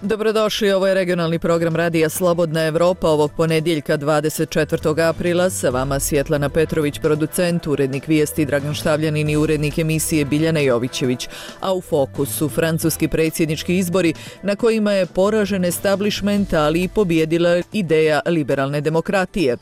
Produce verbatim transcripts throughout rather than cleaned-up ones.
Dobrodošli, ovo je regionalni program Radija Slobodna Evropa ovog ponedjeljka dvadeset četvrtog aprila. Sa vama Svjetlana Petrović, producent, urednik vijesti Dragan Štavljanin i urednik emisije Biljana Jovićević. A u fokusu francuski predsjednički izbori na kojima je poražen establishment, ali i pobjedila ideja liberalne demokratije.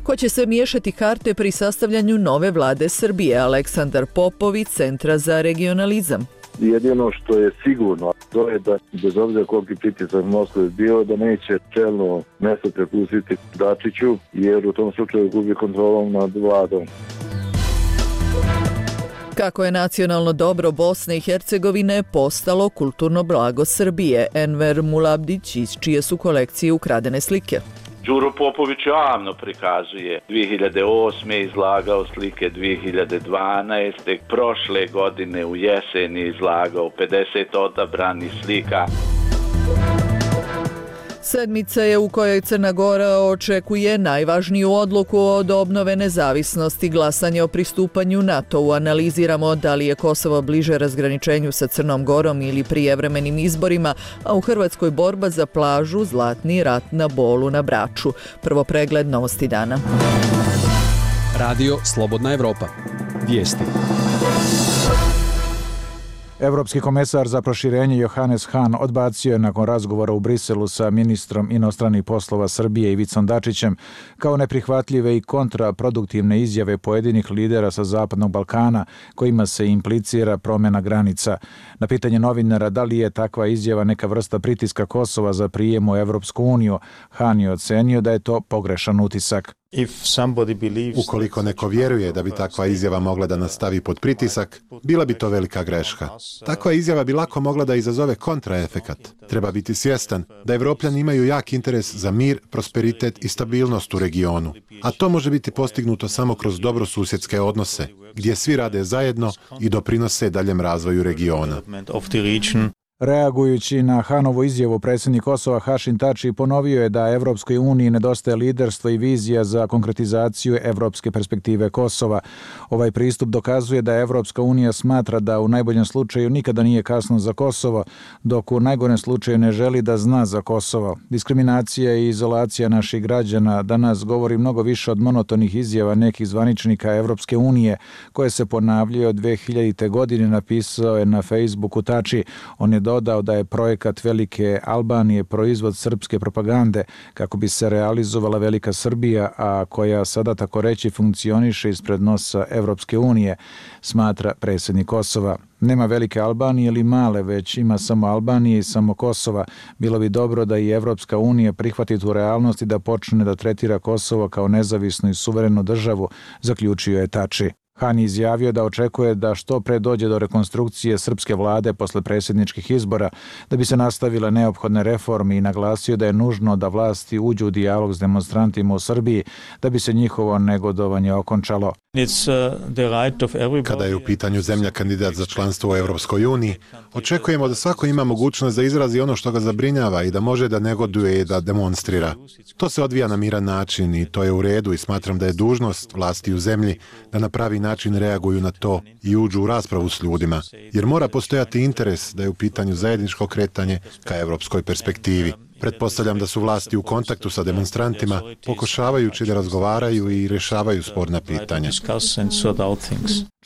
Ko će se miješati karte pri sastavljanju nove vlade Srbije? Aleksandar Popović, Centra za regionalizam. Jedino što je sigurno, to je da bez obzira koliki pritisak Moskve bio, da neće čelno mjesto prepustiti Dačiću, jer u tom slučaju gubi kontrolom nad vladom. Kako je nacionalno dobro Bosne i Hercegovine postalo kulturno blago Srbije? Enver Mulabdić, iz čije su kolekcije ukradene slike. Đuro Popović javno prikazuje. dvije hiljade osme izlagao slike, dvije hiljade dvanaeste prošle godine u jesen je izlagao pedeset odabranih slika. Sedmica je u kojoj Crna Gora očekuje najvažniju odluku od obnove nezavisnosti, glasanje o pristupanju NATO-u. Analiziramo da li je Kosovo bliže razgraničenju sa Crnom Gorom ili prijevremenim izborima, a u Hrvatskoj borba za plažu, Zlatni rat na Bolu na Braču. Prvo pregled novosti dana. Radio Slobodna Evropa. Vijesti. Evropski komesar za proširenje Johannes Hahn odbacio je nakon razgovora u Briselu sa ministrom inostranih poslova Srbije Ivicom Dačićem kao neprihvatljive i kontraproduktivne izjave pojedinih lidera sa Zapadnog Balkana kojima se implicira promjena granica. Na pitanje novinara da li je takva izjava neka vrsta pritiska Kosova za prijem u Evropsku uniju, Hahn je ocenio da je to pogrešan utisak. Ukoliko neko vjeruje da bi takva izjava mogla da nastavi pod pritisak, bila bi to velika greška. Takva izjava bi lako mogla da izazove kontraefekat. Treba biti svjestan da Evropljani imaju jak interes za mir, prosperitet i stabilnost u regionu. A to može biti postignuto samo kroz dobrosusjedske odnose, gdje svi rade zajedno i doprinose daljem razvoju regiona. Reagujući na Hahnovu izjavu, predsjednik Kosova Hašim Tači ponovio je da Evropskoj uniji nedostaje liderstvo i vizija za konkretizaciju evropske perspektive Kosova. Ovaj pristup dokazuje da Evropska unija smatra da u najboljem slučaju nikada nije kasno za Kosovo, dok u najgorem slučaju ne želi da zna za Kosovo. Diskriminacija i izolacija naših građana danas govori mnogo više od monotonih izjava nekih zvaničnika Evropske unije, koje se ponavljaju od dve hiljadite. godine, napisao je na Facebooku Tači. On je dodao da je projekat Velike Albanije proizvod srpske propagande kako bi se realizovala Velika Srbija, a koja sada tako reći funkcioniše ispred nosa Evropske unije, smatra predsjednik Kosova. Nema Velike Albanije ili male, već ima samo Albanije i samo Kosova. Bilo bi dobro da i Evropska unija prihvati tu realnost i da počne da tretira Kosovo kao nezavisnu i suverenu državu, zaključio je Tači. Hahn izjavio da očekuje da što pre dođe do rekonstrukcije srpske vlade posle predsjedničkih izbora, da bi se nastavile neophodne reforme i naglasio da je nužno da vlasti uđu u dijalog s demonstrantima u Srbiji da bi se njihovo negodovanje okončalo. Kada je u pitanju zemlja kandidat za članstvo u Evropskoj uniji, očekujemo da svako ima mogućnost da izrazi ono što ga zabrinjava i da može da negoduje i da demonstrira. To se odvija na miran način i to je u redu i smatram da je dužnost vlasti u zemlji da na pravi način reaguju na to i uđu u raspravu s ljudima, jer mora postojati interes da je u pitanju zajedničko kretanje ka evropskoj perspektivi. Pretpostavljam da su vlasti u kontaktu sa demonstrantima, pokušavajući da razgovaraju i rješavaju sporna pitanja.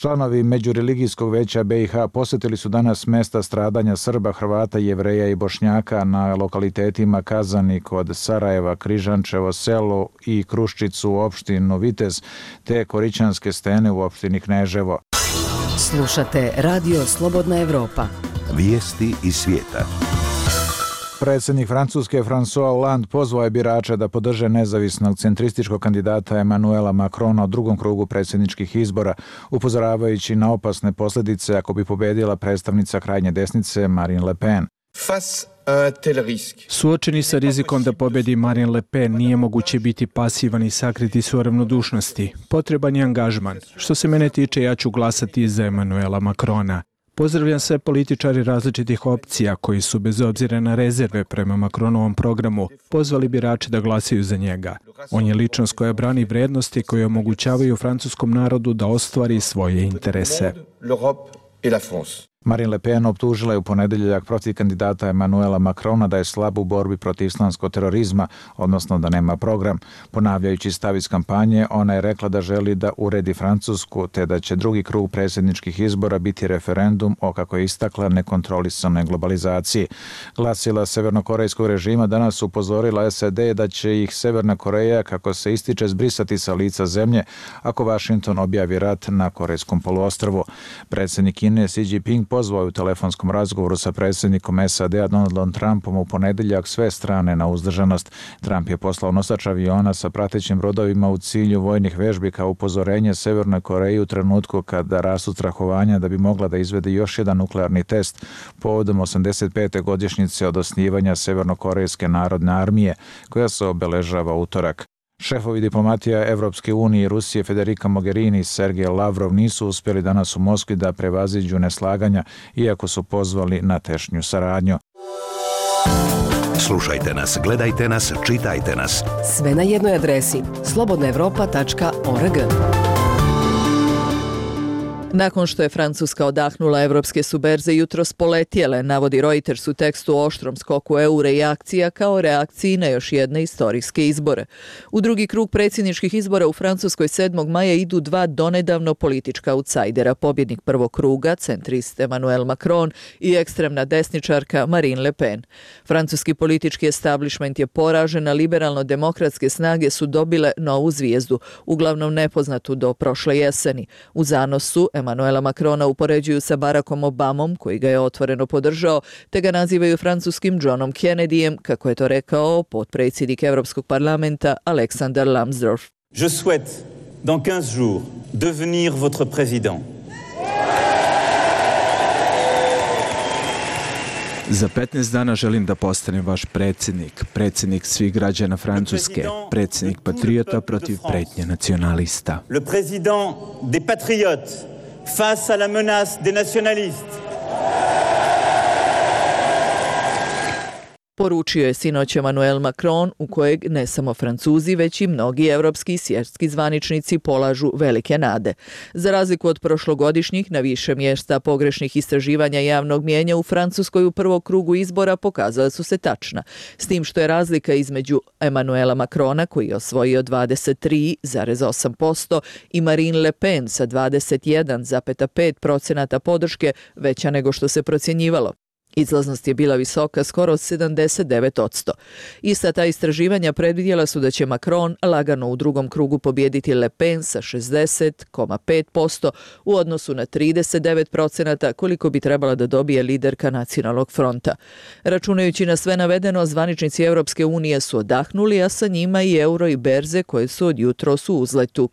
Članovi Međureligijskog veća be i ha posjetili su danas mjesta stradanja Srba, Hrvata, Jevreja i Bošnjaka na lokalitetima Kazani kod Sarajeva, Križančevo selo i Kruščicu u opštinu Vitez, te Korićanske stene u opštini Kneževo. Slušate Radio Slobodna Evropa. Vijesti iz svijeta. Predsjednik Francuske François Hollande pozvao je birače da podrže nezavisnog centrističkog kandidata Emmanuela Macrona u drugom krugu predsjedničkih izbora, upozoravajući na opasne posljedice ako bi pobedila predstavnica krajnje desnice Marine Le Pen. Suočeni sa rizikom da pobedi Marine Le Pen nije moguće biti pasivan i sakriti svoje ravnodušnosti. Potreban je angažman. Što se mene tiče, ja ću glasati za Emmanuela Macrona. Pozdravljam sve političari različitih opcija koji su, bez obzira na rezerve prema Macronovom programu, pozvali birače da glasaju za njega. On je ličnost koja brani vrednosti koje omogućavaju francuskom narodu da ostvari svoje interese. Marine Le Pen optužila je u ponedeljak protiv kandidata Emanuela Macrona da je slab u borbi protiv islamskog terorizma, odnosno da nema program. Ponavljajući stav iz kampanje, ona je rekla da želi da uredi Francusku, te da će drugi krug predsjedničkih izbora biti referendum o, kako je istakla, nekontrolisanoj globalizaciji. Glasila severnokorejskog režima danas upozorila S A D da će ih Severna Koreja, kako se ističe, zbrisati sa lica zemlje ako Washington objavi rat na Korejskom poluostrvu. Predsjednik Kine Xi Jinping pozvao je u telefonskom razgovoru sa predsjednikom S A D-a Donaldom Trumpom u ponedeljak sve strane na uzdržanost. Trump je poslao nosač aviona sa pratećim brodovima u cilju vojnih vežbi kao upozorenje Severnoj Koreji u trenutku kada rastu strahovanja da bi mogla da izvede još jedan nuklearni test povodom osamdeset pete godišnjice od osnivanja Severnokorejske narodne armije, koja se obeležava utorak. Šefovi diplomatija Evropske unije i Rusije Federica Mogherini i Sergej Lavrov nisu uspjeli danas u Moskvi da prevaziđu neslaganja, iako su pozvali na tešnju saradnju. Slušajte nas, gledajte nas, čitajte nas. Sve na jednoj adresi slobodna evropa tačka org. Nakon što je Francuska odahnula, evropske su berze jutros poletjele, navodi Reuters u tekstu o oštrom skoku eura i akcija kao reakciji na još jedne istorijske izbore. U drugi krug predsjedničkih izbora u Francuskoj sedmog maja idu dva donedavno politička autsajdera, pobjednik prvog kruga, centrist Emmanuel Macron i ekstremna desničarka Marine Le Pen. Francuski politički establishment je poražen, a liberalno-demokratske snage su dobile novu zvijezdu, uglavnom nepoznatu do prošle jeseni. U zanosu Emanuela Macrona upoređuju sa Barackom Obamom, koji ga je otvoreno podržao, te ga nazivaju francuskim Johnom Kennedyjem, kako je to rekao potpredsjednik Europskog parlamenta Aleksandar Lambsdorff. Je souhaite dans quinze jours devenir votre président. Za petnaest dana želim da postanem vaš predsjednik, predsjednik svih građana Francuske, predsjednik patriota protiv pretnje nacionalista. Le président des patriotes face à la menace des nationalistes. Poručio je sinoć Emmanuel Macron, u kojeg ne samo Francuzi, već i mnogi evropski i svjetski zvaničnici polažu velike nade. Za razliku od prošlogodišnjih, na više mjesta pogrešnih istraživanja javnog mijenja u Francuskoj u prvog krugu izbora pokazala su se tačna, s tim što je razlika između Emmanuela Macrona, koji je osvojio dvadeset tri zarez osam posto, i Marine Le Pen sa dvadeset jedan zarez pet posto podrške veća nego što se procjenjivalo. Izlaznost je bila visoka, skoro sedamdeset devet posto. Ista ta istraživanja predvidjela su da će Macron lagano u drugom krugu pobijediti Le Pen sa šezdeset zarez pet posto u odnosu na trideset devet posto koliko bi trebala da dobije liderka Nacionalnog fronta. Računajući na sve navedeno, zvaničnici Europske unije su odahnuli, a sa njima i euro i berze koje su od jutros u uzletu.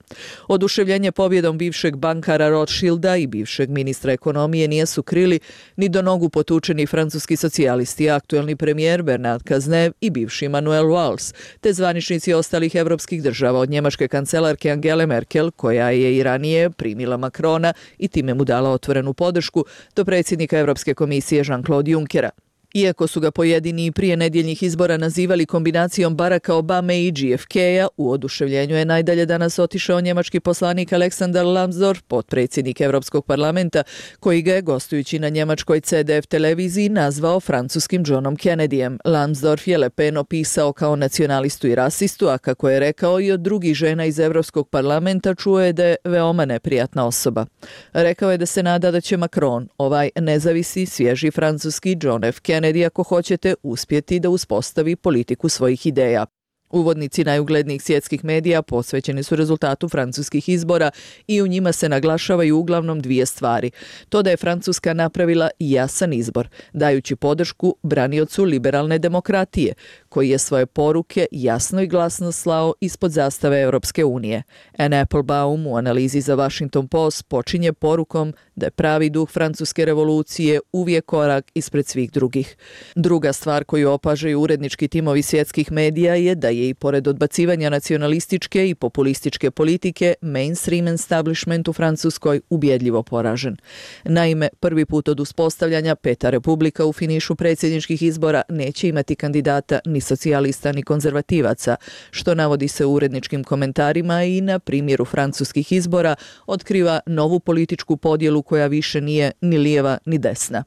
Oduševljenje pobjedom bivšeg bankara Rothschilda i bivšeg ministra ekonomije nije su krili ni do nogu potučeni francuski socijalisti, aktuelni premijer Bernard Cazeneuve i bivši Manuel Valls, te zvaničnici ostalih evropskih država, od njemačke kancelarke Angele Merkel, koja je i ranije primila Macrona i time mu dala otvorenu podršku, do predsjednika Evropske komisije Jean-Claude Junckera. Iako su ga pojedini prije nedjeljnih izbora nazivali kombinacijom Baracka Obame i J F K-a, u oduševljenju je najdalje danas otišao njemački poslanik Aleksandar Lambsdorff, potpredsjednik Europskog parlamenta, koji ga je, gostujući na njemačkoj C D F televiziji, nazvao francuskim Johnom Kennedyjem. Lambsdorff je Le Pen opisao kao nacionalistu i rasistu, a kako je rekao i od drugih žena iz Europskog parlamenta, čuo je da je veoma neprijatna osoba. Rekao je da se nada da će Macron, ovaj nezavisi, svježi francuski John F. Kennedy, ako hoćete, uspjeti da uspostavi politiku svojih ideja. Uvodnici najuglednijih svjetskih medija posvećeni su rezultatu francuskih izbora i u njima se naglašavaju uglavnom dvije stvari. To da je Francuska napravila jasan izbor, dajući podršku braniocu liberalne demokratije, koji je svoje poruke jasno i glasno slao ispod zastave Europske unije. Anne Applebaum u analizi za Washington Post počinje porukom da je pravi duh francuske revolucije uvijek korak ispred svih drugih. Druga stvar koju opažaju urednički timovi svjetskih medija je da je je i pored odbacivanja nacionalističke i populističke politike, mainstream establishment u Francuskoj ubjedljivo poražen. Naime, prvi put od uspostavljanja Peta republika u finišu predsjedničkih izbora neće imati kandidata ni socijalista ni konzervativaca, što navodi se u uredničkim komentarima i na primjeru francuskih izbora otkriva novu političku podjelu koja više nije ni lijeva ni desna.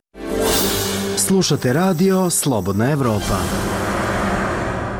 Slušate radio Slobodna Evropa.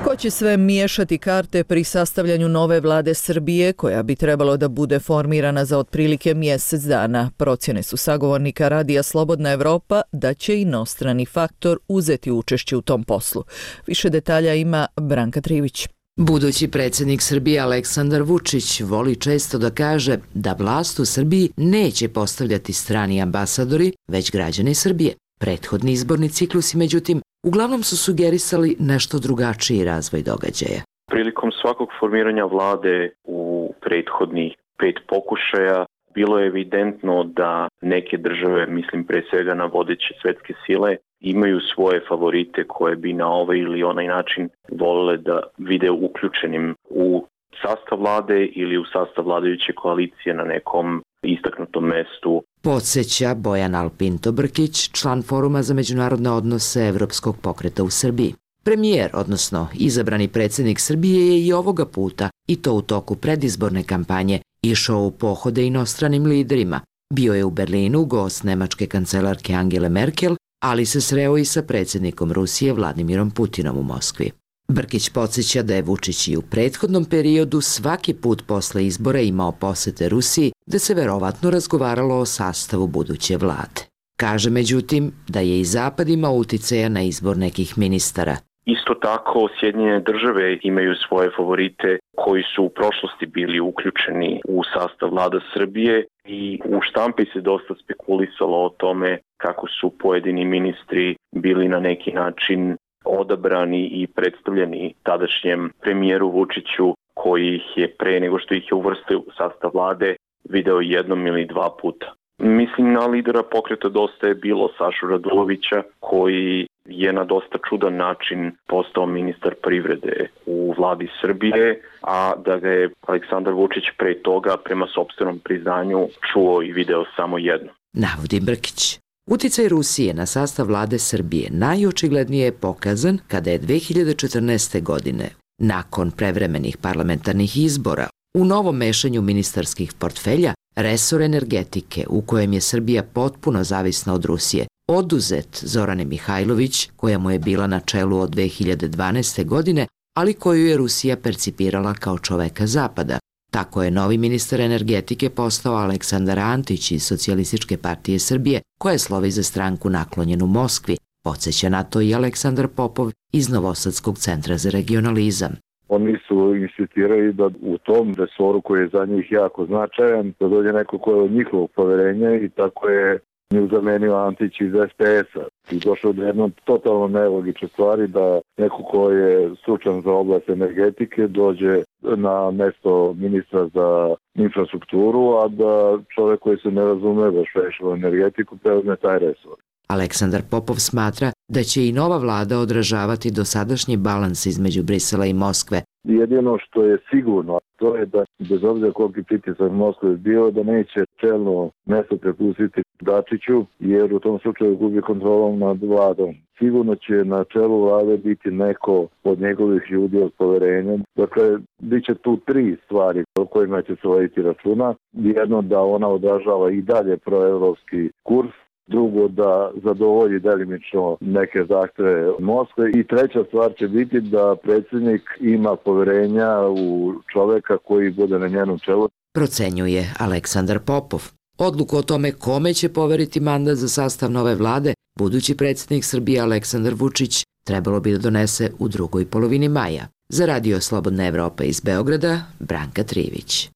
Ko će sve miješati karte pri sastavljanju nove vlade Srbije, koja bi trebalo da bude formirana za otprilike mjesec dana? Procjene su sagovornika radija Slobodna Evropa da će inostrani faktor uzeti učešće u tom poslu. Više detalja ima Branka Trivić. Budući predsjednik Srbije Aleksandar Vučić voli često da kaže da vlast u Srbiji neće postavljati strani ambasadori, već građani Srbije. Prethodni izborni ciklusi, međutim, uglavnom su sugerisali nešto drugačiji razvoj događaja. Prilikom svakog formiranja vlade u prethodnih pet pokušaja bilo je evidentno da neke države, mislim pre svega na vodeće svetske sile, imaju svoje favorite koje bi na ovaj ili onaj način volele da vide uključenim u sastav vlade ili u sastav vladajuće koalicije na nekom istaknutom mestu. Podsjeća Bojan Alpinto Brkić, član Foruma za međunarodne odnose Evropskog pokreta u Srbiji. Premijer, odnosno izabrani predsjednik Srbije, je i ovoga puta, i to u toku predizborne kampanje, išao u pohode inostranim liderima. Bio je u Berlinu gost nemačke kancelarke Angele Merkel, ali se sreo i sa predsjednikom Rusije Vladimirom Putinom u Moskvi. Brkić podsjeća da je Vučić i u prethodnom periodu svaki put posle izbora imao posete Rusiji, da se verovatno razgovaralo o sastavu buduće vlade. Kaže međutim da je i Zapad imao uticaja na izbor nekih ministara. Isto tako, Sjedinjene države imaju svoje favorite koji su u prošlosti bili uključeni u sastav vlada Srbije i u štampi se dosta spekulisalo o tome kako su pojedini ministri bili na neki način odabrani i predstavljeni tadašnjem premijeru Vučiću, koji ih je pre nego što ih je uvrstio u sastav vlade video jednom ili dva puta. Mislim na lidera pokreta Dosta je bilo Sašu Radulovića, koji je na dosta čudan način postao ministar privrede u vladi Srbije, a da ga je Aleksandar Vučić pre toga prema sopstvenom priznanju čuo i video samo jedno. Navodi Brkić. Uticaj Rusije na sastav vlade Srbije najočiglednije je pokazan kada je dve hiljade četrnaeste. godine, nakon prevremenih parlamentarnih izbora, u novom mešanju ministarskih portfelja, resor energetike, u kojem je Srbija potpuno zavisna od Rusije, oduzet Zorane Mihajlović, koja mu je bila na čelu od dve hiljade dvanaeste. godine, ali koju je Rusija percipirala kao čoveka Zapada. Tako je novi ministar energetike postao Aleksandar Antić iz Socijalističke partije Srbije, koja slovi za stranku naklonjenu Moskvi. Podsjeća na to i Aleksandar Popov iz Novosadskog centra za regionalizam. Oni su insistirali da u tom resoru koji je za njih jako značajan, da dođe neko ko je od njihovog poverenja i tako je nju zamenio Antić iz es pe es-a. I došao do jednom totalno nelogične stvari da neko ko je stručan za oblast energetike dođe na mesto ministra za infrastrukturu, a da čovjek koji se ne razume baš u energetiku preuzme taj resor. Aleksandar Popov smatra da će i nova vlada odražavati dosadašnji balans između Brisela i Moskve. Jedino što je sigurno, to je da bez obzira koliki pritisak Moskve je bio, da neće čelno mesto prepustiti Dačiću, jer u tom slučaju gubi kontrolom nad vladom. Sigurno će na čelu vlade biti neko od njegovih ljudi od poverenja. Dakle, bit će tu tri stvari o kojima će se voditi računa. Jedno, da ona odražava i dalje proevropski kurs. Drugo, da zadovolji delimično neke zahtjeve Moskve i treća stvar će biti da predsjednik ima poverenja u čoveka koji bude na njenom čelu. Procenjuje Aleksandar Popov. Odluku o tome kome će poveriti mandat za sastav nove vlade, budući predsjednik Srbije Aleksandar Vučić trebalo bi da donese u drugoj polovini maja. Za Radio Slobodna Evropa iz Beograda, Branka Trivić.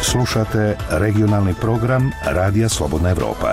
Slušate regionalni program Radija Slobodna Evropa.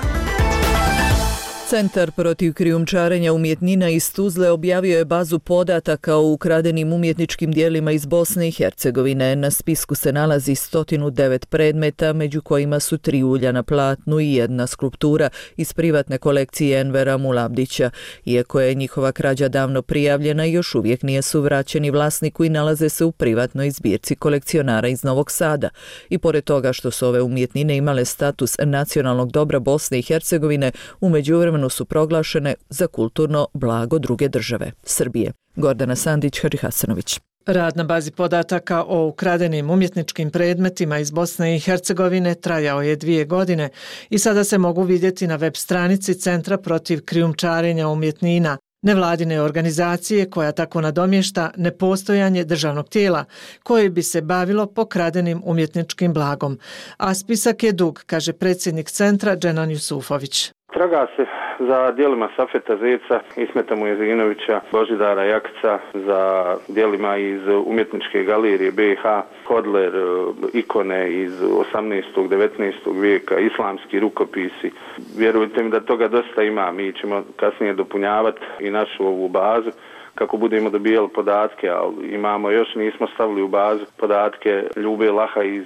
Centar protiv krijumčarenja umjetnina iz Tuzle objavio je bazu podataka o ukradenim umjetničkim dijelima iz Bosne i Hercegovine. Na spisku se nalazi sto devet predmeta, među kojima su tri ulja na platnu i jedna skulptura iz privatne kolekcije Envera Mulabdića. Iako je njihova krađa davno prijavljena, još uvijek nisu vraćeni vlasniku i nalaze se u privatnoj zbirci kolekcionara iz Novog Sada. I pored toga što su ove umjetnine imale status nacionalnog dobra Bosne i Hercegovine, u međuvremenu su proglašene za kulturno blago druge države, Srbije. Gordana Sandić, Hadži Hasanović. Rad na bazi podataka o ukradenim umjetničkim predmetima iz Bosne i Hercegovine trajao je dvije godine i sada se mogu vidjeti na web stranici Centra protiv krijumčarenja umjetnina, nevladine organizacije koja tako nadomješta nepostojanje državnog tijela koje bi se bavilo pokradenim umjetničkim blagom. A spisak je dug, kaže predsjednik centra Dženan Jusufović. Traga se za djelima Safeta Zeca, Ismeta Mujezinovića, Božidara Jakca, za djelima iz umjetničke galerije B i H, Hodler, ikone iz osamnaestog devetnaestog vijeka, islamski rukopisi. Vjerujte mi da toga dosta ima, mi ćemo kasnije dopunjavati i našu ovu bazu kako budemo dobijali podatke, ali imamo još, nismo stavili u bazu podatke Ljube Laha iz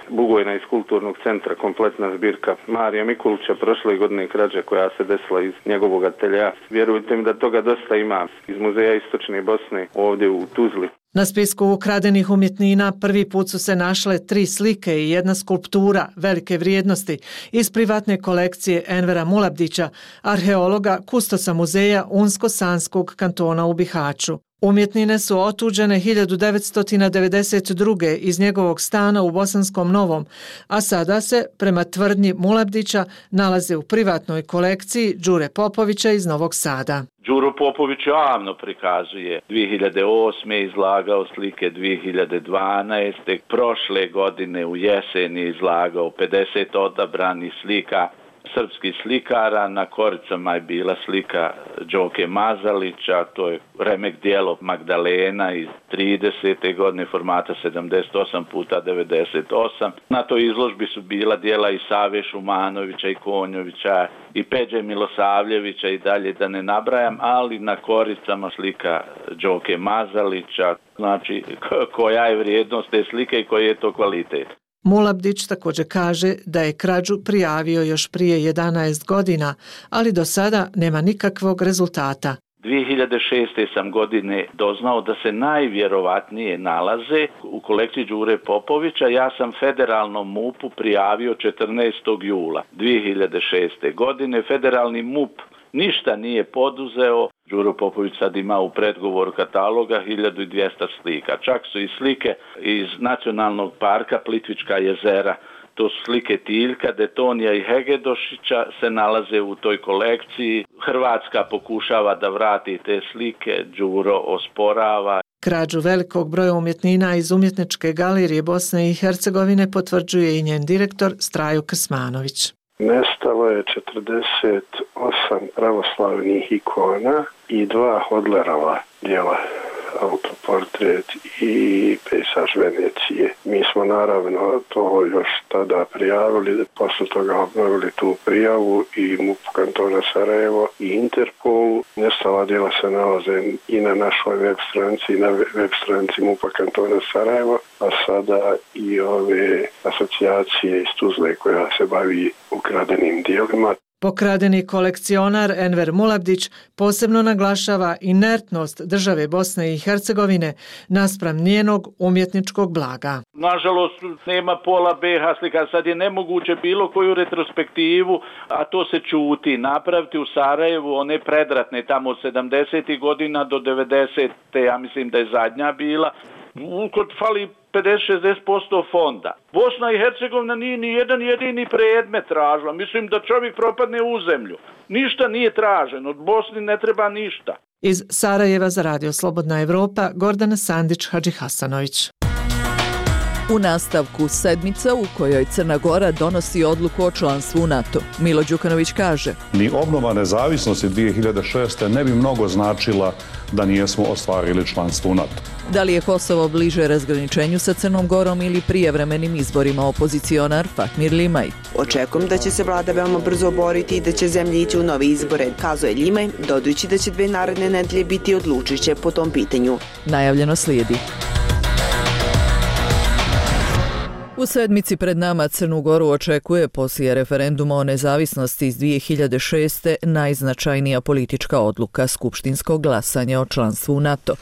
Bugojna iz kulturnog centra, kompletna zbirka Marija Mikulića, prošle godine krađa koja se desila iz njegovog atelja. Vjerujte mi da toga dosta ima iz Muzeja Istočne Bosne ovdje u Tuzli. Na spisku ukradenih umjetnina prvi put su se našle tri slike i jedna skulptura velike vrijednosti iz privatne kolekcije Envera Mulabdića, arheologa, kustosa muzeja Unsko-Sanskog kantona u Bihaću. Umjetnine su otuđene hiljadu devetsto devedeset druge iz njegovog stana u Bosanskom Novom, a sada se, prema tvrdnji Mulabdića, nalaze u privatnoj kolekciji Đure Popovića iz Novog Sada. Đuro Popović javno prikazuje. dvije hiljade osme izlagao slike, dvije hiljade dvanaeste prošle godine u jesen je izlagao pedeset odabranih slika srpskih slikara. Na koricama je bila slika Đoke Mazalića, to je remek dijelo Magdalena iz tridesete godine formata sedamdeset osam puta devedeset osam. Na toj izložbi su bila dijela i Save Šumanovića i Konjovića i Peđe Milosavljevića i dalje da ne nabrajam, ali na koricama slika Đoke Mazalića, znači koja je vrijednost te slike i koji je to kvalitet. Mulabdić također kaže da je krađu prijavio još prije jedanaest godina, ali do sada nema nikakvog rezultata. dvije hiljade šeste sam godine doznao da se najvjerovatnije nalaze u kolekciji Đure Popovića. Ja sam federalnom M U P-u prijavio četrnaestog jula dvije hiljade šeste godine. Federalni M U P ništa nije poduzeo. Đuro Popović sad ima u predgovoru kataloga hiljadu dvjesto slika. Čak su i slike iz Nacionalnog parka Plitvička jezera. To su slike Tiljka, Detonija i Hegedošića se nalaze u toj kolekciji. Hrvatska pokušava da vrati te slike, Đuro osporava. Krađu velikog broja umjetnina iz umjetničke galerije Bosne i Hercegovine potvrđuje i njen direktor Strajo Krsmanović. Nestalo je četrdeset osam pravoslavnih ikona i dva Hodlerova djela, autoportret i pejsaž Venecije. Mi smo naravno to još tada prijavili, posle toga obnovili tu prijavu i M U P kantona Sarajevo i Interpolu. Nestala djela se nalaze i na našoj web stranici i na web stranici M U P kantona Sarajevo, a sada i ove asocijacije iz Tuzle koja se bavi ukradenim dijelima. Pokradeni kolekcionar Enver Mulabdić posebno naglašava inertnost države Bosne i Hercegovine naspram njenog umjetničkog blaga. Nažalost, nema pola B H slika. Sad je nemoguće bilo koju retrospektivu, a to se čuti, napraviti u Sarajevu, one predratne tamo od sedamdesetih godina do devedesete. Ja mislim da je zadnja bila. Kod fali pedeset do šezdeset posto fonda. Bosna i Hercegovina nije ni jedan jedini predmet tražila. Mislim da čovjek propadne u zemlju. Ništa nije traženo. Od Bosni ne treba ništa. Iz Sarajeva za Radio Slobodna Evropa, Gordana Sandić, Hadži Hasanović. U nastavku sedmica u kojoj Crna Gora donosi odluku o članstvu u NATO. Milo Đukanović kaže: Ni obnova nezavisnosti dvije hiljade šeste. ne bi mnogo značila da nijesmo ostvarili članstvo u NATO. Da li je Kosovo bliže razgraničenju sa Crnom Gorom ili prijevremenim izborima, opozicionar Fatmir Limaj? Očekujem da će se vlada veoma brzo boriti i da će zemlja ići u nove izbore, kazuje Limaj, dodajući da će dve naredne nedelje biti odlučiće po tom pitanju. Najavljeno slijedi. U sedmici pred nama Crnu Goru očekuje poslije referenduma o nezavisnosti iz dvije hiljade šeste. najznačajnija politička odluka, skupštinsko glasanje o članstvu u NATO.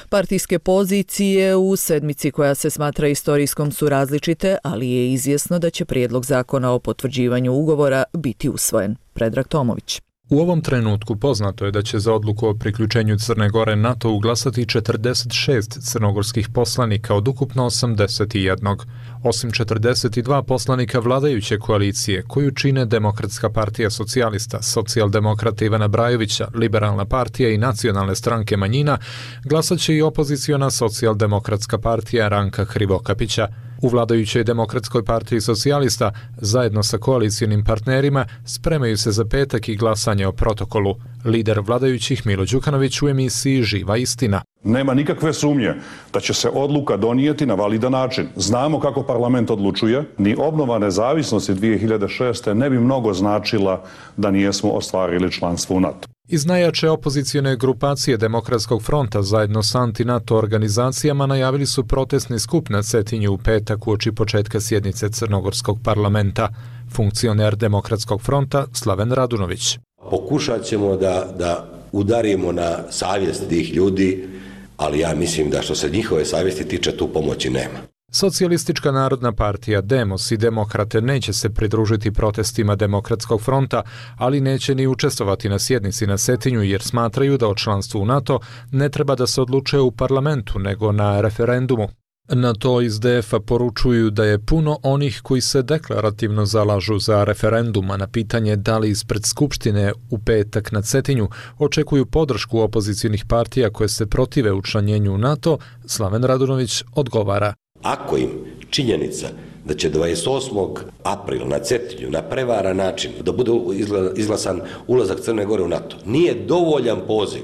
Partijske pozicije u sedmici koja se smatra istorijskom su različite, ali je izvjesno da će prijedlog zakona o potvrđivanju ugovora biti usvojen. Predrag Tomović. U ovom trenutku poznato je da će za odluku o priključenju Crne Gore NATO glasati četrdeset šest crnogorskih poslanika od ukupno osamdeset jedan. Osim četrdeset dva poslanika vladajuće koalicije, koju čine Demokratska partija socijalista, Socijaldemokrata Ivana Brajovića, Liberalna partija i Nacionalne stranke manjina, glasat će i opoziciona Socijaldemokratska partija Ranka Hrivokapića. U vladajućoj Demokratskoj partiji socijalista, zajedno sa koalicijonim partnerima, spremaju se za petak i glasanje o protokolu. Lider vladajućih Milo Đukanović u emisiji Živa istina. Nema nikakve sumnje da će se odluka donijeti na validan način. Znamo kako parlament odlučuje. Ni obnova nezavisnosti dvije hiljade šeste. ne bi mnogo značila da nijesmo ostvarili članstvo u NATO. Iz najjače opozicione grupacije Demokratskog fronta zajedno s anti-NATO organizacijama najavili su protestni skup na Cetinju u petak uoči početka sjednice Crnogorskog parlamenta. Funkcioner Demokratskog fronta Slaven Radunović. Pokušat ćemo da, da udarimo na savjest tih ljudi, ali ja mislim da što se njihove savjesti tiče, tu pomoći nema. Socijalistička narodna partija Demos i Demokrate neće se pridružiti protestima Demokratskog fronta, ali neće ni učestvovati na sjednici na Cetinju jer smatraju da o članstvu u NATO ne treba da se odlučuje u parlamentu nego na referendumu. Na to iz D F-a poručuju da je puno onih koji se deklarativno zalažu za referendum, a na pitanje da li ispred Skupštine u petak na Cetinju očekuju podršku opozicijnih partija koje se protive učlanjenju u NATO, Slaven Radunović odgovara. Ako im činjenica da će dvadeset osmog aprila na Cetinju na prevaran način da bude izglasan ulazak Crne Gore u NATO, nije dovoljan poziv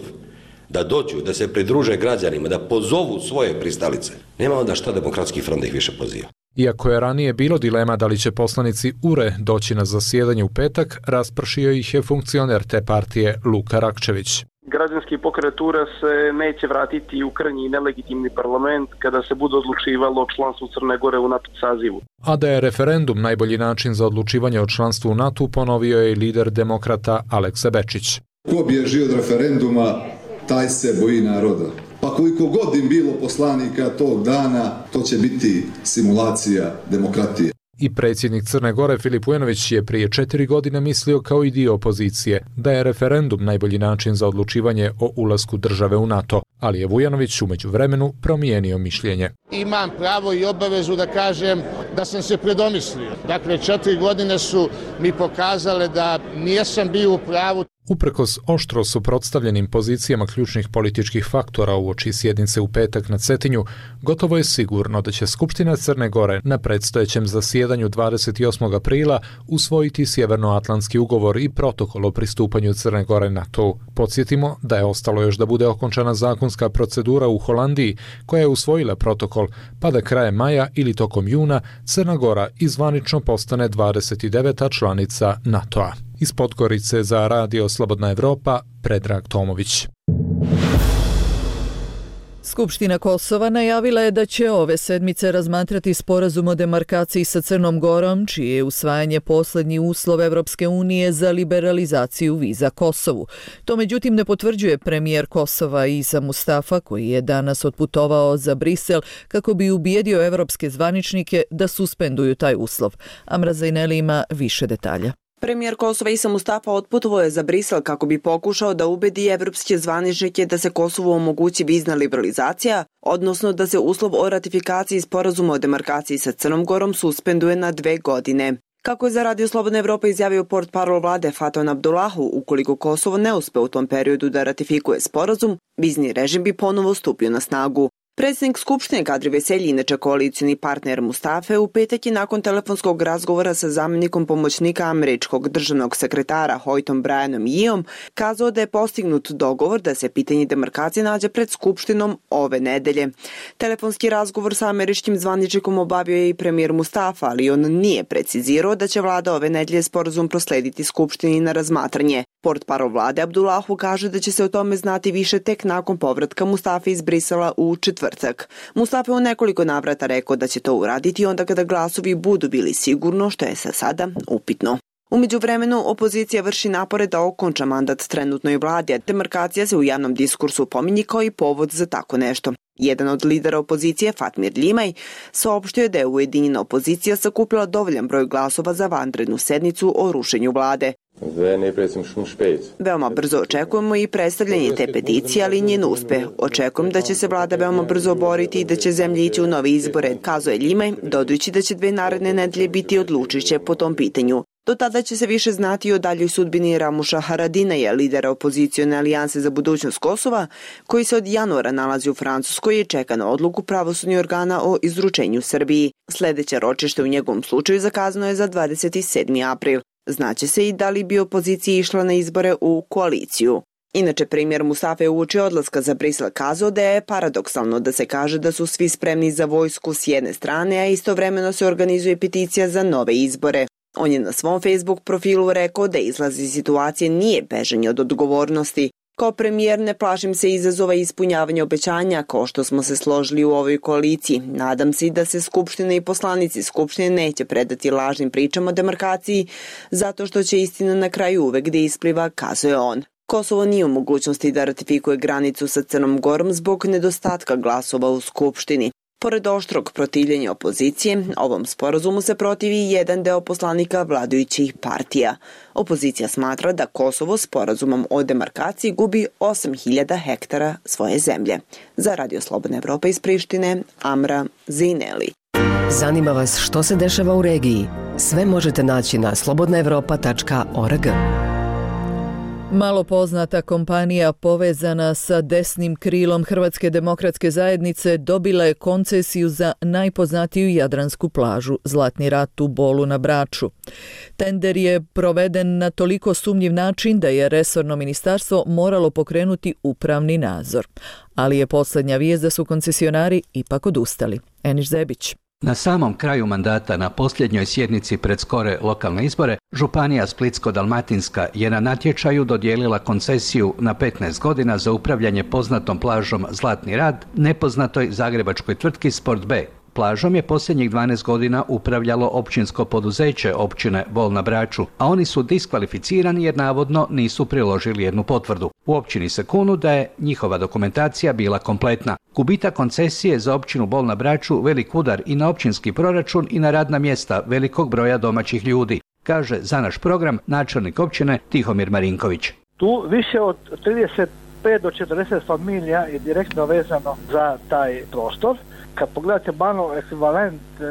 da dođu, da se pridruže građanima, da pozovu svoje pristalice, nema onda šta Demokratski front da ih više poziva. Iako je ranije bilo dilema da li će poslanici U R E doći na zasjedanje u petak, raspršio ih je funkcioner te partije Luka Rakčević. Građanski pokret U R E se neće vratiti u krnji nelegitimni parlament kada se bude odlučivalo o članstvu Crne Gore u NATO sazivu. A da je referendum najbolji način za odlučivanje o članstvu u NATO, ponovio je lider Demokrata Aleksa Bečić. Ko bježi od referenduma, taj se boji naroda. Pa koliko god im bilo poslanika tog dana, to će biti simulacija demokratije. I predsjednik Crne Gore Filip Vujanović je prije četiri godine mislio kao i dio opozicije da je referendum najbolji način za odlučivanje o ulasku države u NATO, ali je Vujanović u međuvremenu promijenio mišljenje. Imam pravo i obavezu da kažem da sam se predomislio. Dakle, četiri godine su mi pokazale da nijesam bio u pravu. Uprkos oštro suprotstavljenim pozicijama ključnih političkih faktora uoči sjednice u petak na Cetinju, gotovo je sigurno da će Skupština Crne Gore na predstojećem zasjedanju dvadeset osmog aprila usvojiti Sjevernoatlantski ugovor i protokol o pristupanju Crne Gore NATO. Podsjetimo da je ostalo još da bude okončana zakonska procedura u Holandiji koja je usvojila protokol, pa da krajem maja ili tokom juna Crna Gora izvanično postane dvadeset deveta članica NATO-a. Iz Podgorice za Radio Slobodna Evropa, Predrag Tomović. Skupština Kosova najavila je da će ove sedmice razmatrati sporazum o demarkaciji sa Crnom Gorom, čije je usvajanje posljednji uslov Evropske unije za liberalizaciju viza Kosovu. To međutim ne potvrđuje premijer Kosova Isa Mustafa, koji je danas otputovao za Brisel kako bi ubijedio evropske zvaničnike da suspenduju taj uslov. Amra Zajneli ima više detalja. Premijer Kosova Isa Mustafa otputovao je za Brisel kako bi pokušao da ubedi evropske zvaničnike da se Kosovu omogući vizna liberalizacija, odnosno da se uslov o ratifikaciji sporazuma o demarkaciji sa Crnom Gorom suspenduje na dve godine. Kako je za Radio Slobodna Evropa izjavio portparol vlade Faton Abdullahu, ukoliko Kosovo ne uspe u tom periodu da ratifikuje sporazum, vizni režim bi ponovo stupio na snagu. Predsjednik Skupštine Kadri Veselji, inače koalicioni partner Mustafe, u petak je nakon telefonskog razgovora sa zamjenikom pomoćnika američkog državnog sekretara Hoytom Brianom Yeom kazao da je postignut dogovor da se pitanje demarkacije nađe pred Skupštinom ove nedelje. Telefonski razgovor sa američkim zvaničnikom obavio je i premijer Mustafa, ali on nije precizirao da će vlada ove nedelje sporazum proslediti Skupštini na razmatranje. Portparol vlade Abdullahu kaže da će se o tome znati više tek nakon povratka Mustafe iz Brisela u četvrtak. Mustafa je u nekoliko navrata rekao da će to uraditi onda kada glasovi budu bili sigurno, što je sa sada upitno. U međuvremenu, opozicija vrši napore da okonča mandat trenutnoj vladi, a demarkacija se u javnom diskursu pominje kao i povod za tako nešto. Jedan od lidera opozicije, Fatmir Limaj, saopštio je da je ujedinjena opozicija sakupila dovoljan broj glasova za vanrednu sednicu o rušenju vlade. Veoma brzo očekujemo i predstavljanje te peticije, ali njen uspeh. Očekujem da će se vlada veoma brzo boriti i da će zemlja ići u nove izbore, kazao je Limaj, dodajući da će dve naredne nedelje biti odlučujuće po tom pitanju. Do tada će se više znati o daljoj sudbini Ramuša Haradinaja, lidera opozicione alijanse za budućnost Kosova, koji se od januara nalazi u Francuskoj i čeka na odluku pravosudnih organa o izručenju Srbiji. Sljedeće ročište u njegovom slučaju zakazano je za dvadeset sedmi april. Znaće se i da li bi opozicija išla na izbore u koaliciju. Inače, premijer Mustafa je uoči odlaska za Brisel kazao da je paradoksalno da se kaže da su svi spremni za vojsku s jedne strane, a istovremeno se organizuje peticija za nove izbore. On je na svom Facebook profilu rekao da izlaz iz situacije nije bežanje od odgovornosti. Kao premijer ne plašim se izazova i ispunjavanja obećanja kao što smo se složili u ovoj koaliciji. Nadam se da se Skupština i poslanici Skupštine neće predati lažnim pričama o demarkaciji zato što će istina na kraju uvek da ispliva, kazao je on. Kosovo nije u mogućnosti da ratifikuje granicu sa Crnom Gorom zbog nedostatka glasova u Skupštini. Pored oštrog protivljenja opozicije, ovom sporazumu se protivi jedan deo poslanika vladajućih partija. Opozicija smatra da Kosovo sporazumom o demarkaciji gubi osam hiljada hektara svoje zemlje. Za Radio Slobodna Evropa iz Prištine, Amra Zineli. Zanima vas što se dešava u regiji? Sve možete naći na slobodna evropa tačka org. Malo poznata kompanija povezana sa desnim krilom Hrvatske demokratske zajednice dobila je koncesiju za najpoznatiju jadransku plažu Zlatni rat u Bolu na Braču. Tender je proveden na toliko sumnjiv način da je resorno ministarstvo moralo pokrenuti upravni nadzor. Ali je posljednja vijest da su koncesionari ipak odustali. Eniš Zebić. Na samom kraju mandata na posljednjoj sjednici pred skore lokalne izbore, Županija Splitsko-dalmatinska je na natječaju dodijelila koncesiju na petnaest godina za upravljanje poznatom plažom Zlatni rat nepoznatoj zagrebačkoj tvrtki Sport B. Plažom je posljednjih dvanaest godina upravljalo općinsko poduzeće općine Bol na Braču, a oni su diskvalificirani jer navodno nisu priložili jednu potvrdu. U općini se kunu da je njihova dokumentacija bila kompletna. Gubitak koncesije za općinu Bol na Braču velik udar i na općinski proračun i na radna mjesta velikog broja domaćih ljudi, kaže za naš program načelnik općine Tihomir Marinković. Tu više od trideset pet do četrdeset familija je direktno vezano za taj prostor. Kad pogledate malo ekvivalent e,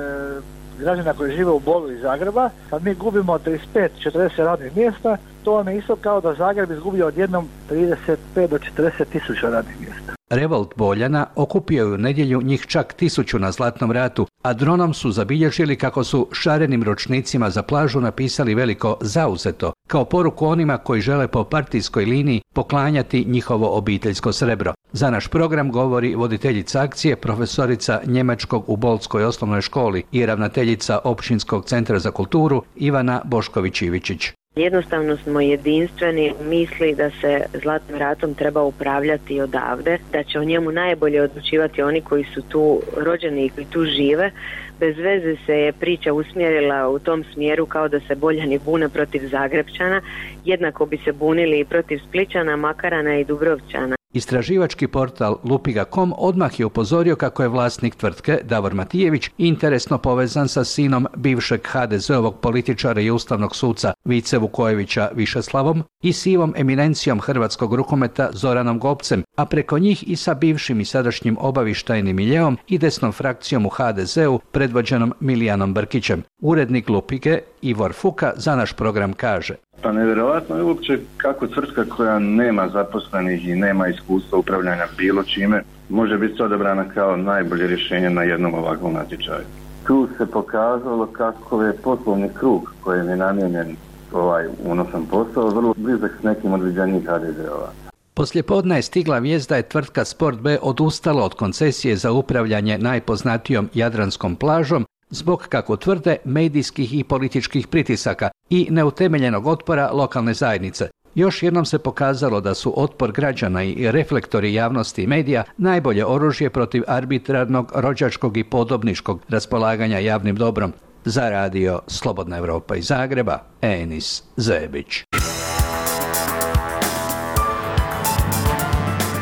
građana koji žive u Bolu iz Zagreba, kad mi gubimo trideset pet do četrdeset radnih mjesta, to vam je isto kao da Zagreb izgubio odjednom trideset pet do četrdeset tisuća radnih mjesta. Revolt Boljana okupio je u nedjelju njih čak tisuću na Zlatnom ratu, a dronom su zabilježili kako su šarenim ročnicima za plažu napisali veliko zauzeto, kao poruku onima koji žele po partijskoj liniji poklanjati njihovo obiteljsko srebro. Za naš program govori voditeljica akcije, profesorica njemačkog u Bolskoj osnovnoj školi i ravnateljica Općinskog centra za kulturu Ivana Bošković-Ivičić. Jednostavno smo jedinstveni u misli da se Zlatnim ratom treba upravljati odavde, da će o njemu najbolje odlučivati oni koji su tu rođeni i koji tu žive. Bez veze se je priča usmjerila u tom smjeru kao da se Boljani bune protiv Zagrepčana, jednako bi se bunili i protiv Splićana, Makarana i Dubrovčana. Istraživački portal lupiga točka com odmah je upozorio kako je vlasnik tvrtke, Davor Matijević, interesno povezan sa sinom bivšeg ha de zeovog političara i ustavnog suca Vice Vukojevića Višeslavom i sivom eminencijom hrvatskog rukometa Zoranom Gopcem, a preko njih i sa bivšim i sadašnjim obavještajnim miljeom i desnom frakcijom u ha de zeu predvođenom Milijanom Brkićem. Urednik Lupige Ivor Fuka za naš program kaže: Pa nevjerojatno je uopće kako tvrtka koja nema zaposlenih i nema iskustva upravljanja bilo čime može biti odabrana kao najbolje rješenje na jednom ovakvom natječaju. Tu se pokazalo kako je poslovni krug kojem je namijenjen ovaj unosan posao vrlo blizak s nekim od viđanjih ha de ze-ova. Poslijepodne je stigla vijest da je tvrtka Sport B odustala od koncesije za upravljanje najpoznatijom jadranskom plažom zbog, kako tvrde, medijskih i političkih pritisaka i neutemeljenog otpora lokalne zajednice. Još jednom se pokazalo da su otpor građana i reflektori javnosti i medija najbolje oružje protiv arbitrarnog, rođačkog i podobničkog raspolaganja javnim dobrom. Za radio Slobodna Evropa iz Zagreba, Enis Zebić.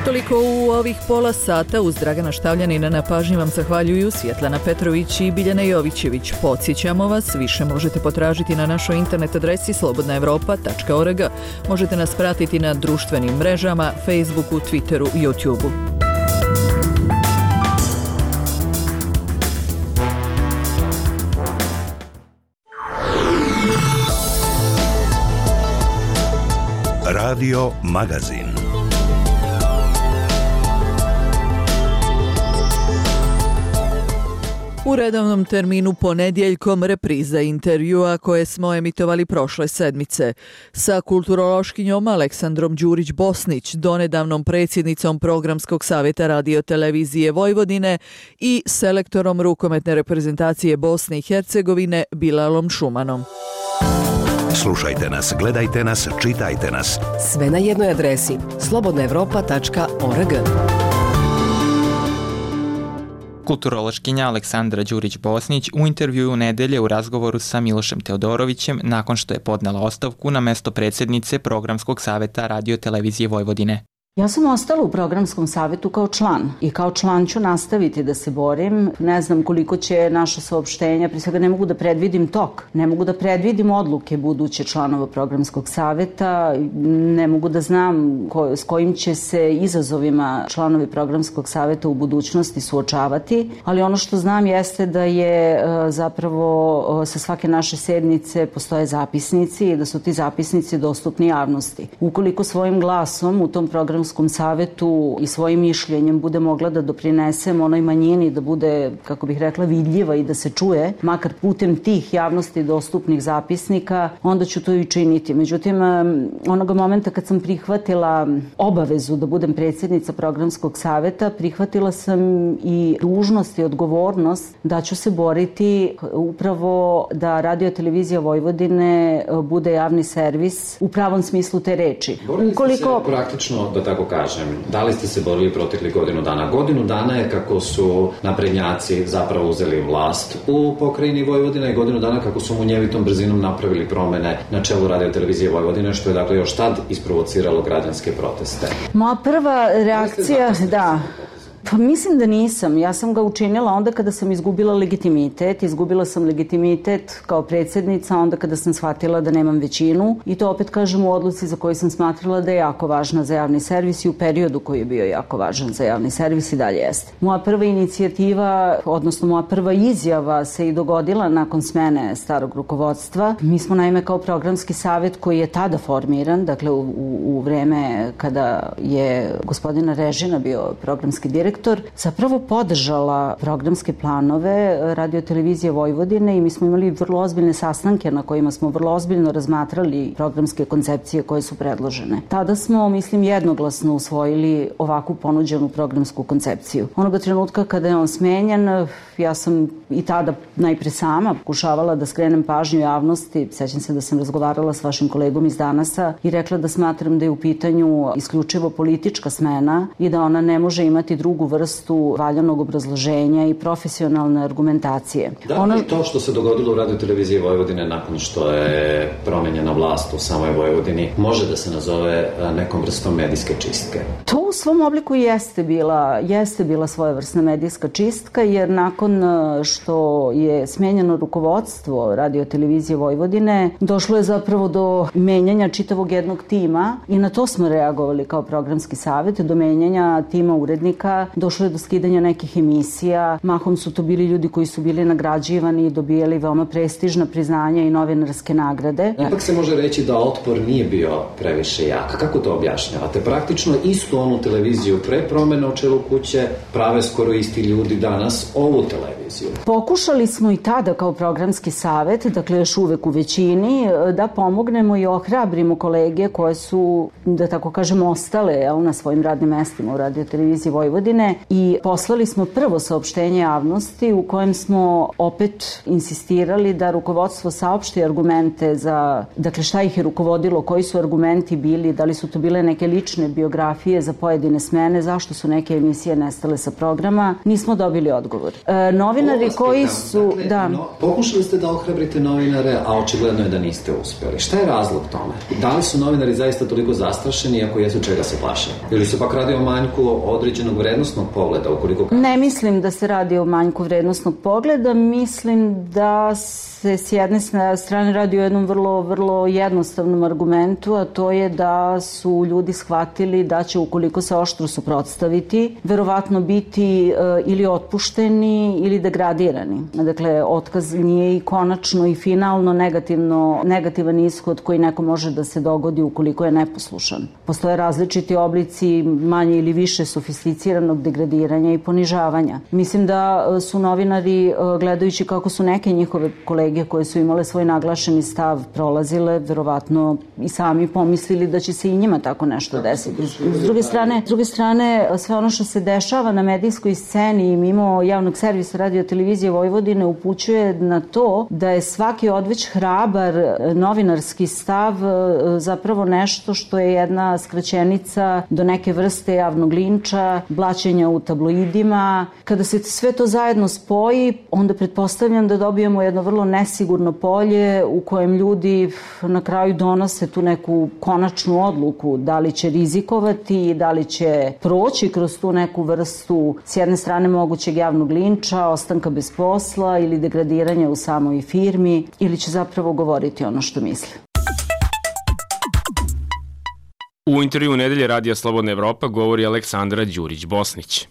Toliko u ovih pola sata. Uz Dragana Štavljanina na pažnji vam zahvaljuju Svjetlana Petrović i Biljana Jovićević. Podsjećamo vas, više možete potražiti na našoj internet adresi slobodna evropa tačka org. Možete nas pratiti na društvenim mrežama, Facebooku, Twitteru i YouTubeu. Radio Magazin. U redovnom terminu ponedjeljkom repriza intervjua koje smo emitovali prošle sedmice sa kulturološkinjom Aleksandrom Đurić-Bosnić, donedavnom predsjednicom Programskog savjeta Radio-televizije Vojvodine i selektorom rukometne reprezentacije Bosne i Hercegovine Bilalom Šumanom. Slušajte nas, gledajte nas, čitajte nas. Sve na jednoj adresi slobodna evropa tačka org. Kulturološkinja Aleksandra Đurić-Bosnić u intervjuu nedelje u razgovoru sa Milošem Teodorovićem nakon što je podnela ostavku na mesto predsjednice Programskog savjeta Radio-televizije Vojvodine. Ja sam ostala u Programskom savjetu kao član i kao član ću nastaviti da se borim. Ne znam koliko će naša saopštenja, prije svega ne mogu da predvidim tok, ne mogu da predvidim odluke buduće članova Programskog savjeta, ne mogu da znam ko, s kojim će se izazovima članovi Programskog savjeta u budućnosti suočavati, ali ono što znam jeste da je zapravo sa svake naše sednice postoje zapisnici i da su ti zapisnici dostupni javnosti. Ukoliko svojim glasom u tom programskom savjetu i svojim mišljenjem bude mogla da doprinesem onoj manjini, da bude, kako bih rekla, vidljiva i da se čuje, makar putem tih javnosti dostupnih zapisnika, onda ću to i činiti. Međutim, onoga momenta kad sam prihvatila obavezu da budem predsjednica Programskog savjeta, prihvatila sam i dužnost i odgovornost da ću se boriti upravo da Radio-televizija Vojvodine bude javni servis u pravom smislu te reči. Borili ste se praktično, da tako kažem, da li ste se borili protekli godinu dana? Godinu dana je kako su naprednjaci zapravo uzeli vlast u pokrajini Vojvodine i godinu dana kako su munjevitom brzinom napravili promene na čelu Radio-televizije Vojvodine, što je dakle još tad isprovociralo građanske proteste. Moja prva reakcija, da... Pa mislim da nisam. Ja sam ga učinila onda kada sam izgubila legitimitet. Izgubila sam legitimitet kao predsjednica onda kada sam shvatila da nemam većinu i to opet kažem u odluci za koju sam smatrala da je jako važna za javni servis i u periodu koji je bio jako važan za javni servis i dalje jeste. Moja prva inicijativa, odnosno moja prva izjava se i dogodila nakon smene starog rukovodstva. Mi smo naime kao programski savjet koji je tada formiran, dakle u, u, u vreme kada je gospodina Režina bio programski direktor, zapravo podržala programske planove Radio-televizije Vojvodine i mi smo imali vrlo ozbiljne sastanke na kojima smo vrlo ozbiljno razmatrali programske koncepcije koje su predložene. Tada smo, mislim, jednoglasno usvojili ovakvu ponuđenu programsku koncepciju. Onoga trenutka kada je on smenjen, ja sam i tada najpre sama pokušavala da skrenem pažnju javnosti. Sećam se da sam razgovarala s vašim kolegom iz Danasa i rekla da smatram da je u pitanju isključivo politička smena i da ona ne može imati drugu vrstu valjanog obrazloženja i profesionalne argumentacije. Da li ono... to što se dogodilo u Radio-televiziji Vojvodine nakon što je promenjena vlast u samoj Vojvodini može da se nazove nekom vrstom medijske čistke? To u svom obliku jeste bila, jeste bila svojevrsna medijska čistka, jer nakon što je smenjeno rukovodstvo Radio-televizije Vojvodine, došlo je zapravo do menjanja čitavog jednog tima i na to smo reagovali kao programski savjet, do menjanja tima urednika, došlo je do skidanja nekih emisija, mahom su to bili ljudi koji su bili nagrađivani i dobijali veoma prestižna priznanja i novinarske nagrade. Ipak se može reći da otpor nije bio previše jak. Kako to objašnjavate? Praktično istu onu televiziju pre promene u čelu kuće prave skoro isti ljudi danas ovu televiziju. Pokušali smo i tada kao programski savet, dakle još uvek u većini, da pomognemo i ohrabrimo kolege koje su, da tako kažem, ostale jel, na svojim radnim mestima u Radio-televiziji Vojvodine i poslali smo prvo saopštenje javnosti u kojem smo opet insistirali da rukovodstvo saopšti argumente za, dakle šta ih je rukovodilo, koji su argumenti bili, da li su to bile neke lične biografije za pojedine smene, zašto su neke emisije nestale sa programa, nismo dobili odgovor. E, novinari koji su... Dakle, da. No, pokušali ste da ohrabrite novinare, a očigledno je da niste uspjeli. Šta je razlog tome? Da li su novinari zaista toliko zastrašeni, ako jesu, čega se plaše? Ili se pak radi o manjku određenog vrednostnog pogleda? Ukoliko... Ne mislim da se radi o manjku vrednostnog pogleda, mislim da se s jedne strane radi o jednom vrlo, vrlo jednostavnom argumentu, a to je da su ljudi shvatili da će, ukoliko se oštro suprotstaviti, verovatno biti e, ili otpušteni ili degradirani. Dakle, otkaz nije i konačno i finalno negativno, negativan ishod koji neko može da se dogodi ukoliko je neposlušan. Postoje različiti oblici manje ili više sofisticiranog degradiranja i ponižavanja. Mislim da su novinari, gledajući kako su neke njihove kolege koje su imale svoj naglašeni stav prolazile, verovatno i sami pomislili da će se i njima tako nešto desiti. S druge strane, s druge strane, sve ono što se dešava na medijskoj sceni i mimo javnog servisa Radio-televizije Vojvodine upućuje na to da je svaki odveć hrabar novinarski stav zapravo nešto što je jedna skraćenica do neke vrste javnog linča, blaćenja u tabloidima. Kada se sve to zajedno spoji, onda pretpostavljam da dobijemo jedno vrlo nesigurno polje u kojem ljudi na kraju donose tu neku konačnu odluku da li će rizikovati, da li će proći kroz tu neku vrstu s jedne strane mogućeg javnog linča, ostanka bez posla ili degradiranja u samoj firmi, ili će zapravo govoriti ono što misle. U intervju Nedelje Radija Slobodna Evropa govori Aleksandra Đurić-Bosnić.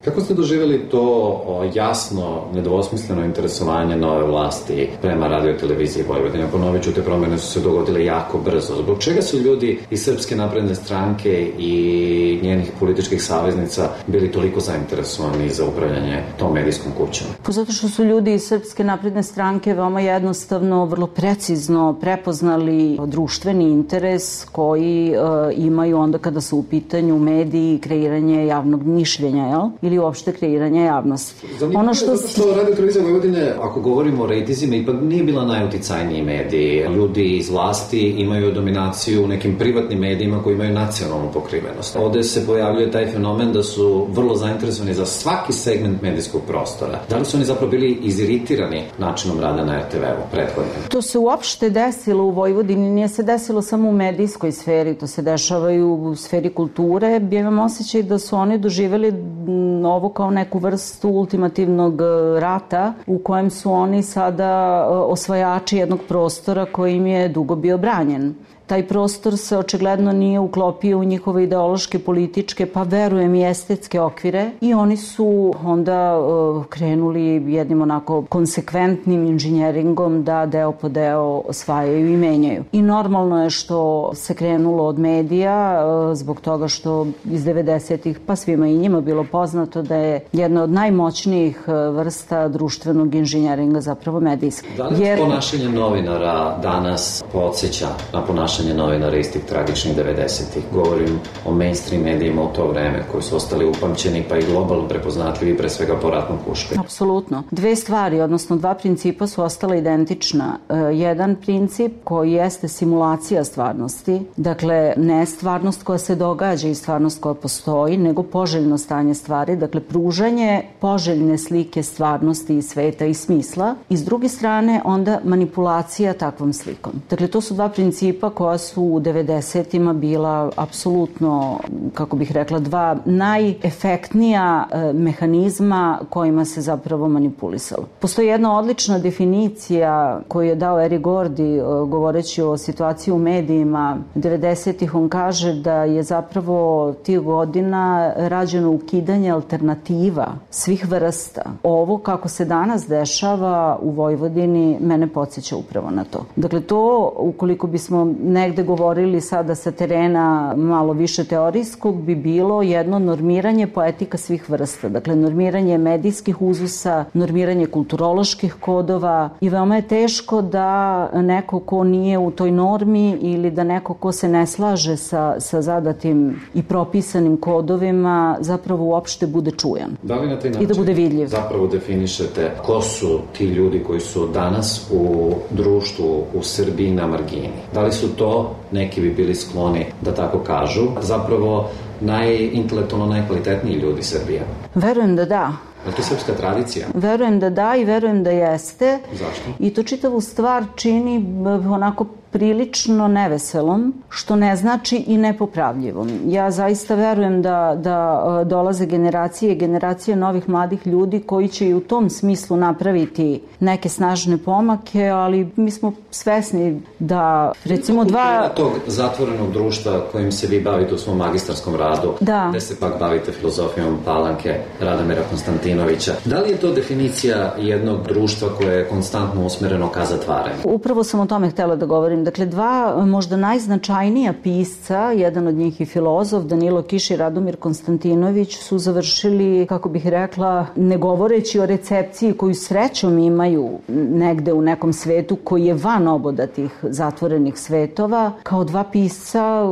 Kako ste doživjeli to jasno, nedvosmisleno interesovanje nove vlasti prema Radio-televiziji Vojvodine? Ponovit ću, te promjene su se dogodile jako brzo. Zbog čega su ljudi iz Srpske napredne stranke i njenih političkih saveznica bili toliko zainteresovani za upravljanje tom medijskom kućom? Pa zato što su ljudi iz Srpske napredne stranke veoma jednostavno, vrlo precizno prepoznali društveni interes koji e, imaju onda kada su u pitanju mediji i kreiranje javnog mišljenja, jel? Ili uopšte kreiranje javnosti. Zanimljivo ono što... je zato što Radio-televizija Vojvodine, ako govorimo o rejtizima, ipak nije bila najuticajniji mediji. Ljudi iz vlasti imaju dominaciju u nekim privatnim medijima koji imaju nacionalnu pokrivenost. Ovde se pojavljuje taj fenomen da su vrlo zainteresovani za svaki segment medijskog prostora. Da li su oni zapravo bili iziritirani načinom rada na er te ve-u prethodno? To se uopšte desilo u Vojvodini, nije se desilo samo u medijskoj sferi, to se dešava i u sferi kulture. Ja imam osjećaj da su oni doživjeli ovo kao neku vrstu ultimativnog rata u kojem su oni sada osvajači jednog prostora koji im je dugo bio branjen. Taj prostor se očigledno nije uklopio u njihove ideološke, političke, pa verujem i estetske okvire i oni su onda uh, krenuli jednim onako konsekventnim inženjeringom da deo po deo osvajaju i menjaju. I normalno je što se krenulo od medija uh, zbog toga što iz devedesetih pa svima i njima bilo poznato da je jedna od najmoćnijih uh, vrsta društvenog inženjeringa zapravo medijska. Da li Jer... ponašanje novinara danas podsjeća na ponašanje novinara iz tih tragičnih devedesetih? Govorim o mainstream medijima u to vreme koji su ostali upamćeni pa i globalno prepoznatljivi pre svega po ratnom pušku. Apsolutno. Dve stvari, odnosno dva principa su ostala identična. E, jedan princip koji jeste simulacija stvarnosti, dakle ne stvarnost koja se događa i stvarnost koja postoji, nego poželjno stanje stvari, dakle pružanje poželjne slike stvarnosti i sveta i smisla i s druge strane onda manipulacija takvom slikom. Dakle to su dva principa koja koja su u devedesetima bila apsolutno, kako bih rekla, dva najefektnija mehanizma kojima se zapravo manipulisalo. Postoji jedna odlična definicija koju je dao Eric Gordy govoreći o situaciji u medijima devedesetih. On kaže da je zapravo tih godina rađeno ukidanje alternativa svih vrsta. Ovo kako se danas dešava u Vojvodini mene podsjeća upravo na to. Dakle, to ukoliko bismo negde govorili sada sa terena malo više teorijskog, bi bilo jedno normiranje poetika svih vrsta. Dakle, normiranje medijskih uzusa, normiranje kulturoloških kodova i veoma je teško da neko ko nije u toj normi ili da neko ko se ne slaže sa, sa zadatim i propisanim kodovima zapravo uopšte bude čujan. Da li na taj način i da bude vidljiv? Zapravo definišete ko su ti ljudi koji su danas u društvu u Srbiji na margini? Da li su to, neki bi bili skloni da tako kažu, zapravo najintelektualno najkvalitetniji ljudi Srbije? Verujem da da. Je to srpska tradicija? Verujem da da i verujem da jeste. Zašto? I to čitavu stvar čini onako prilično neveselom, što ne znači i nepopravljivom. Ja zaista verujem da, da dolaze generacije i generacije novih mladih ljudi koji će i u tom smislu napraviti neke snažne pomake, ali mi smo svesni da recimo dva... tog zatvorenog društva kojim se vi bavite u svom magistarskom radu, da. Gde se pak bavite filozofijom Palanke, Radomira Konstantinovića. Da li je to definicija jednog društva koje je konstantno usmereno ka zatvaranju? Upravo sam o tome htela da govorim. Dakle, dva možda najznačajnija pisca, jedan od njih i filozof, Danilo Kiš i Radomir Konstantinović, su završili, kako bih rekla, ne govoreći o recepciji koju srećom imaju negde u nekom svetu koji je van oboda tih zatvorenih svetova, kao dva pisca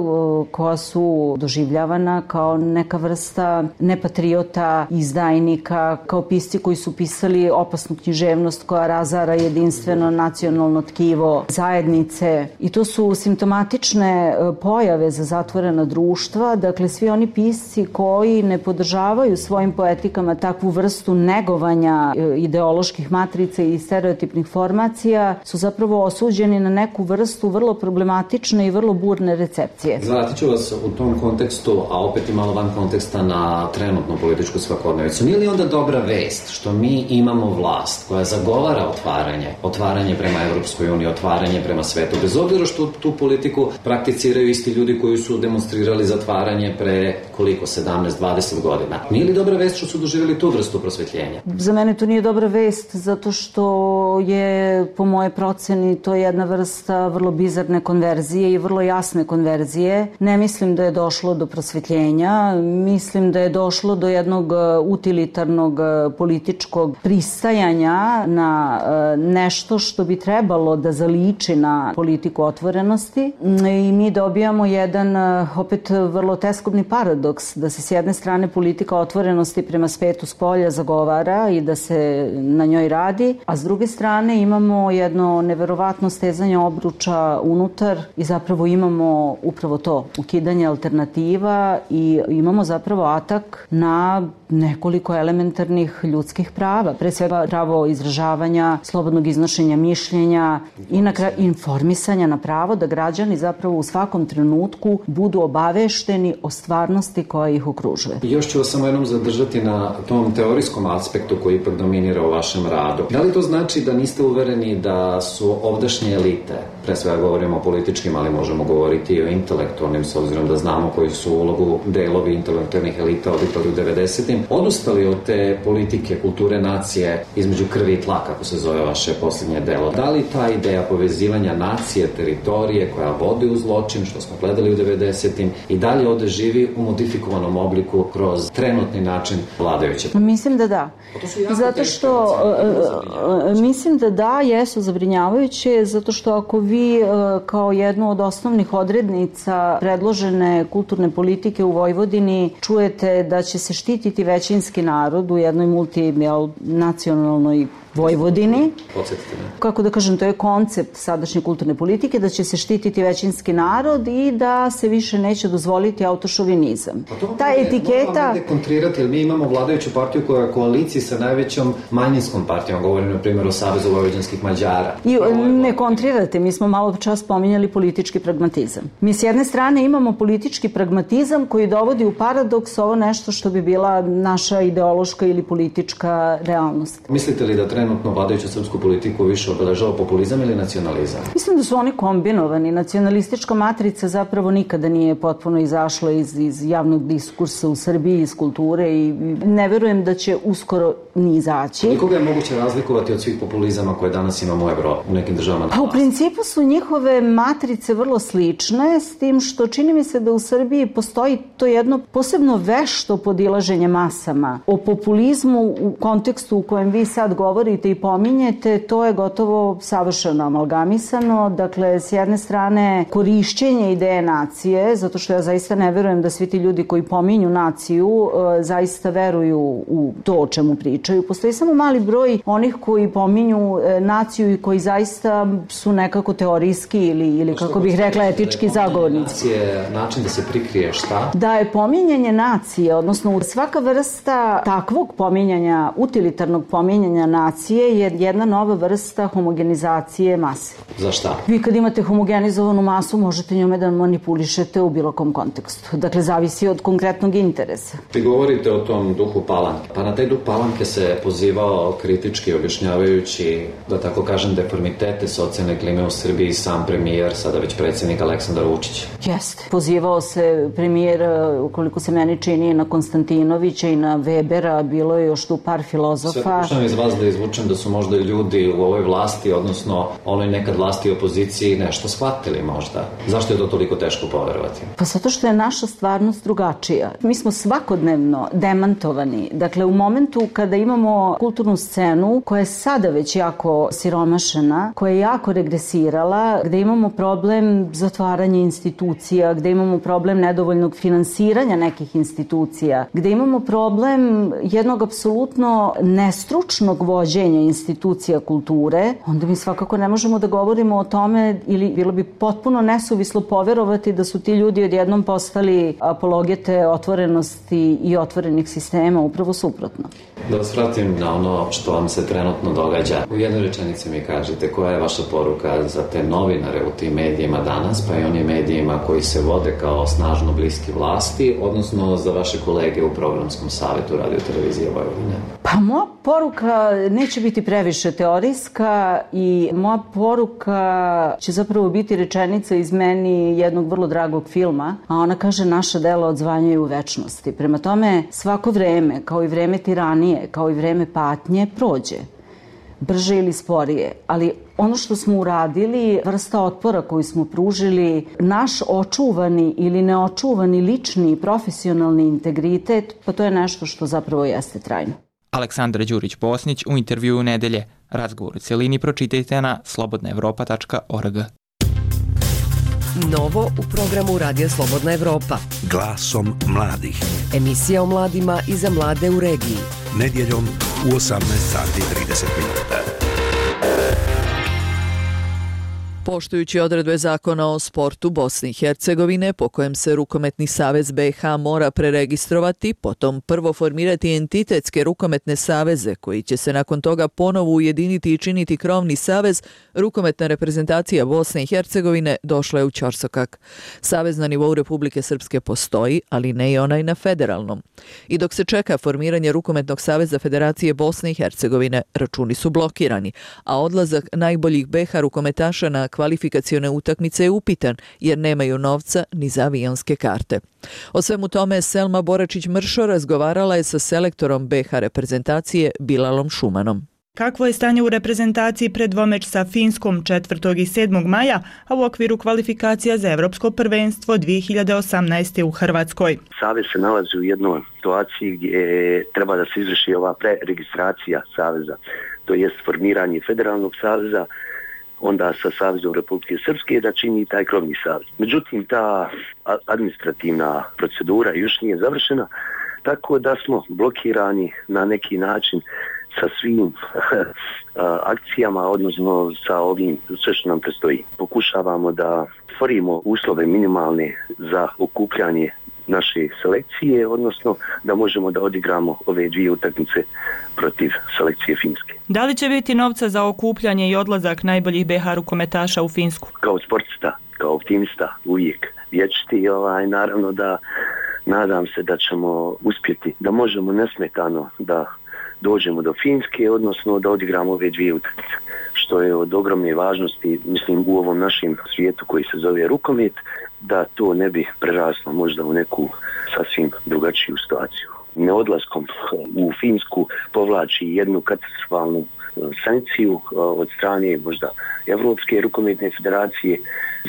koja su doživljavana kao neka vrsta nepatriota, izdajnika, kao pisci koji su pisali opasnu književnost koja razara jedinstveno nacionalno tkivo zajednice. I to su simptomatične pojave za zatvorena društva. Dakle, svi oni pisci koji ne podržavaju svojim poetikama takvu vrstu negovanja ideoloških matrica i stereotipnih formacija su zapravo osuđeni na neku vrstu vrlo problematične i vrlo burne recepcije. Zvratit ću vas u tom kontekstu, a opet i malo van konteksta na trenutnu političku svakodnevicu. Nije li onda dobra vest što mi imamo vlast koja zagovara otvaranje, otvaranje prema Evropskoj uniji, otvaranje prema svetu, bez obzira što tu politiku prakticiraju isti ljudi koji su demonstrirali zatvaranje pre koliko, sedamnaest dvadeset godina. Nije li dobra vest što su doživjeli tu vrstu prosvetljenja? Za mene to nije dobra vest zato što je, po moje proceni, to jedna vrsta vrlo bizarne konverzije i vrlo jasne konverzije. Ne mislim da je došlo do prosvetljenja, mislim da je došlo do jednog utilitarnog političkog pristajanja na nešto što bi trebalo da zaliči na politiku otvorenosti i mi dobijamo jedan opet vrlo teskobni paradoks da se s jedne strane politika otvorenosti prema svetu spolja zagovara i da se na njoj radi, a s druge strane imamo jedno neverovatno stezanje obruča unutar i zapravo imamo upravo to, ukidanje alternativa i imamo zapravo atak na nekoliko elementarnih ljudskih prava, pre svega pravo izražavanja, slobodnog iznošenja mišljenja i na kraju informisanja na pravo da građani zapravo u svakom trenutku budu obavešteni o stvarnosti koja ih okružuje. I još ću vas samo jednom zadržati na tom teorijskom aspektu koji ipak dominira u vašem radu. Da li to znači da niste uvereni da su ovdašnje elite, pre svega govorimo o političkim, ali možemo govoriti i o intelektualnim, s obzirom da znamo koji su ulogu delovi intelektualnih elita odigrali u devedesetim, odustali od te politike, kulture, nacije između krvi i tla, kako se zove vaše posljednje delo. Da li ta ideja povezivanja nacije, teritorije koja vodi u zločin, što smo gledali u devedesetim, i dalje ovde živi u modifikovanom obliku kroz trenutni način vladajuće? Mislim da da. Zato što mislim da da, jesu zabrinjavajuće, zato što ako vi kao jednu od osnovnih odrednica predložene kulturne politike u Vojvodini čujete da će se štititi većinski narod u jednoj multinacionalnoj Vojvodini. Podsjetite me. Kako da kažem, to je koncept sadašnje kulturne politike, da će se štititi većinski narod i da se više neće dozvoliti autošovinizam. Pa Ta etiketa... Mogu kontrirati, jer mi imamo vladajuću partiju koja je u koaliciji sa najvećom manjinskom partijom, govorim na primjer o Savezu vojvođanskih Mađara. I ne kontrirate, mi smo malo čas pominjali politički pragmatizam. Mi s jedne strane imamo politički pragmatizam koji dovodi u paradoks ovo nešto što bi bila naša ideološka ili politička realnost. Mislite li da trenutno vladajuću srpsku politiku više obeležava populizam ili nacionalizam? Mislim da su oni kombinovani. Nacionalistička matrica zapravo nikada nije potpuno izašla iz, iz javnog diskursa u Srbiji, iz kulture i ne verujem da će uskoro ni izaći. I koga je moguće razlikovati od svih populizama koje danas imamo u Evropi, u nekim državama? Pa u principu su njihove matrice vrlo slične, s tim što čini mi se da u Srbiji postoji to jedno posebno vešto podilaženje masama. O populizmu u kontekstu u kojem vi sad govorite i pominjete, to je gotovo savršeno amalgamisano. Dakle, s jedne strane korišćenje ideje nacije, zato što ja zaista ne verujem da svi ti ljudi koji pominju naciju zaista veruju u to o čemu pričaju. Postoji samo mali broj onih koji pominju naciju i koji zaista su nekako teorijski ili, ili kako bih rekla etički zagovornici. Nacije, način da se prikrije šta? Da je pominjanje nacije, odnosno svaka vrsta takvog pominjanja, utilitarnog pominjanja nacije je jedna nova vrsta homogenizacije mase. Za šta? Vi kad imate homogenizovanu masu možete njome da manipulišete u bilo kom kontekstu. Dakle, zavisi od konkretnog interesa. Vi govorite o tom duhu Palanke. Pa na taj duh Palanke se pozivao kritički objašnjavajući, da tako kažem, deformitete socijalne klime u Srbiji sam premijer, sada već predsjednik Aleksandar Vučić. Jeste. Pozivao se premijer, koliko se meni čini, na Konstantinovića i na Webera, bilo je još tu par filozofa. Sve pokušam iz vas da izvučem da su možda ljudi u ovoj vlasti, odnosno onoj nekad vlasti i opoziciji, nešto shvatili možda. Zašto je to toliko teško poverovati? Pa zato što je naša stvarnost drugačija. Mi smo svakodnevno demantovani. Dakle, u momentu kada imamo kulturnu scenu koja je sada već jako siromašena, koja je jako regresirala, gde imamo problem zatvaranja institucija, gde imamo problem nedovoljnog finansiranja nekih institucija, gde imamo problem jednog apsolutno nestručnog vođenja institucija kulture, onda mi svakako ne možemo da govorimo o tome ili bilo bi potpuno nesuvislo poverovati da su ti ljudi odjednom postali apologete otvorenosti i otvorenih sistema, upravo suprotno. Da vas vratim na ono što vam se trenutno događa. U jednoj rečenici mi kažete koja je vaša poruka za te novinare u tim medijima danas, pa i onim medijima koji se vode kao snažno bliski vlasti, odnosno za vaše kolege u programskom savjetu Radio Televizije Vojvodine? Pa moja poruka neće biti previše teorijska i moja poruka će zapravo biti rečenica iz meni jednog vrlo dragog filma, a ona kaže naša dela odzvanjaju u večnosti. Prema tome, svako vreme, kao i vreme tiranije, kao i vreme patnje, prođe. Brže ili sporije, ali ono što smo uradili, vrsta otpora koju smo pružili, naš očuvani ili neočuvani lični i profesionalni integritet, pa to je nešto što zapravo jeste trajno. Aleksandra Đurić-Bosnić u intervjuu Nedelje. Razgovor u celini pročitajte na slobodna evropa tačka org. Novo u programu Radija Slobodna Evropa. Glasom mladih. Emisija o mladima i za mlade u regiji. Nedjeljom u osamnaest sati i trideset minuta. Poštujući odredbe zakona o sportu Bosne i Hercegovine, po kojem se Rukometni savez B i H mora preregistrovati, potom prvo formirati entitetske rukometne saveze, koji će se nakon toga ponovo ujediniti i činiti krovni savez, rukometna reprezentacija Bosne i Hercegovine došla je u ćorsokak. Savez na nivou Republike Srpske postoji, ali ne i onaj na federalnom. I dok se čeka formiranje Rukometnog saveza Federacije Bosne i Hercegovine, računi su blokirani, a odlazak najboljih B i H rukometaša na kvalifikacione utakmice je upitan jer nemaju novca ni za avionske karte. O svemu tome Selma Boračić-Mršo razgovarala je sa selektorom B i H reprezentacije Bilalom Šumanom. Kakvo je stanje u reprezentaciji pred dvomeč sa Finskom četvrtog i sedmog maja, a u okviru kvalifikacija za Evropsko prvenstvo dvije hiljade osamnaeste. u Hrvatskoj? Savez se nalazi u jednoj situaciji gdje treba da se izvrši ova preregistracija saveza, to jest formiranje federalnog saveza, onda sa Savezom Republike Srpske da čini taj krovni savez. Međutim, ta administrativna procedura još nije završena, tako da smo blokirani na neki način sa svim akcijama, odnosno sa ovim sve što nam predstoji. Pokušavamo da stvorimo uslove minimalne za okupljanje naše selekcije, odnosno da možemo da odigramo ove dvije utakmice protiv selekcije Finske. Da li će biti novca za okupljanje i odlazak najboljih be ha rukometaša u Finsku? Kao sportista, kao optimista, uvijek vječiti, ovaj, naravno da nadam se da ćemo uspjeti, da možemo nesmetano da dođemo do Finske, odnosno da odigramo ove dvije utakmice, što je od ogromne važnosti, mislim, u ovom našem svijetu koji se zove rukomet, da to ne bi preraslo možda u neku sasvim drugačiju situaciju. Neodlaskom u Finsku povlači jednu katastrofalnu sankciju od strane možda Evropske rukometne federacije,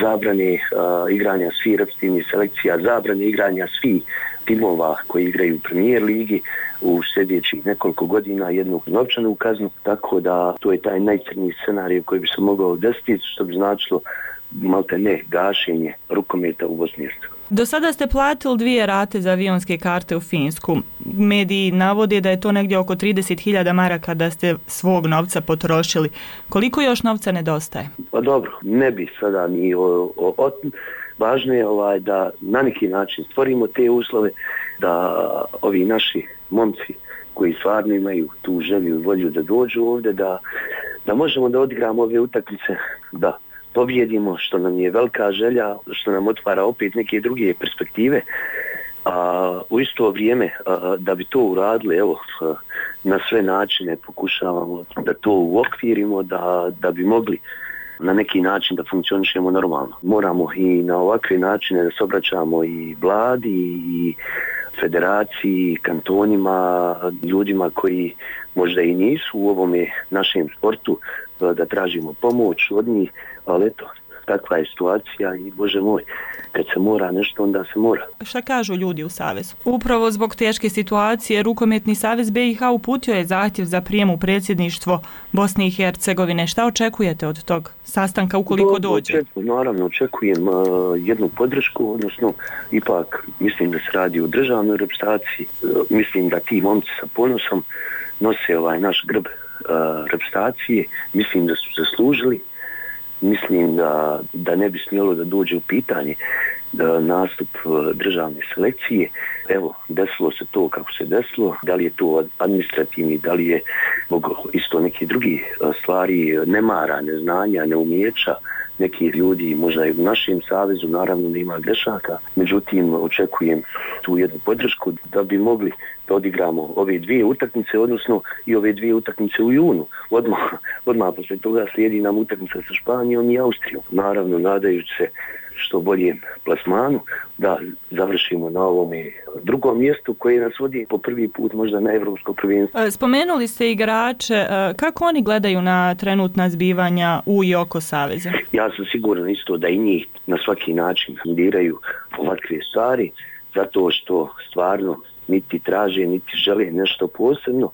zabrane uh, igranja svih reprezentativnih selekcija, zabrane igranja svih timova koji igraju u Premier ligi u sljedećih nekoliko godina, jednu novčanu kaznu, tako da to je taj najcrniji scenarij koji bi se mogao desiti, što bi značilo malte ne gašenje rukometa u Bosni i Hercegovini. Do sada ste platili dvije rate za avionske karte u Finsku. Mediji navode da je to negdje oko trideset hiljada maraka da ste svog novca potrošili. Koliko još novca nedostaje? Pa dobro, ne bi sada ni o, o, o, važno je ovaj, da na neki način stvorimo te uslove, da ovi naši momci koji stvarno imaju tu želju i volju da dođu ovdje, da, da možemo da odigramo ove utakmice, da pobjedimo, što nam je velika želja, što nam otvara opet neke druge perspektive, a u isto vrijeme a, da bi to uradili, evo, a, na sve načine pokušavamo da to uokvirimo, da, da bi mogli na neki način da funkcionišemo normalno. Moramo i na ovakve načine da se obraćamo i vladi, i federaciji, kantonima, ljudima koji možda i nisu u ovome našem sportu, da tražimo pomoć od njih, ali eto, takva je situacija i Bože moj, kad se mora nešto, onda se mora. Šta kažu ljudi u Savezu? Upravo zbog teške situacije, Rukometni savez be i ha uputio je zahtjev za prijem u predsjedništvo Bosne i Hercegovine. Šta očekujete od tog sastanka ukoliko Do, dođe? Očekujem, naravno, očekujem uh, jednu podršku, odnosno ipak mislim da se radi o državnoj reprezentaciji. Uh, mislim da ti momci sa ponosom nose ovaj naš grb uh, reprezentacije. Mislim da su zaslužili. Mislim da, da ne bi smjelo da dođe u pitanje da nastup državne selekcije. Evo, desilo se to kako se desilo, da li je to administrativni, da li je isto neki drugi stvari, nemara, neznanja, neumijeća nekih ljudi, možda i u našem savezu, naravno da ima grešaka, međutim očekujem tu jednu podršku da bi mogli da odigramo ove dvije utakmice, odnosno i ove dvije utakmice u junu. Odmah, odmah posle toga slijedi nam utakmica sa Španijom i Austrijom. Naravno, nadajući se što boljem plasmanu, da završimo na ovome drugom mjestu koje nas vodi po prvi put možda na evropsko prvenstvo. Spomenuli ste igrače, kako oni gledaju na trenutna zbivanja u i oko saveza? Ja sam siguran isto da i njih na svaki način diraju ovakve stvari, zato što stvarno niti traže, niti žele nešto posebno,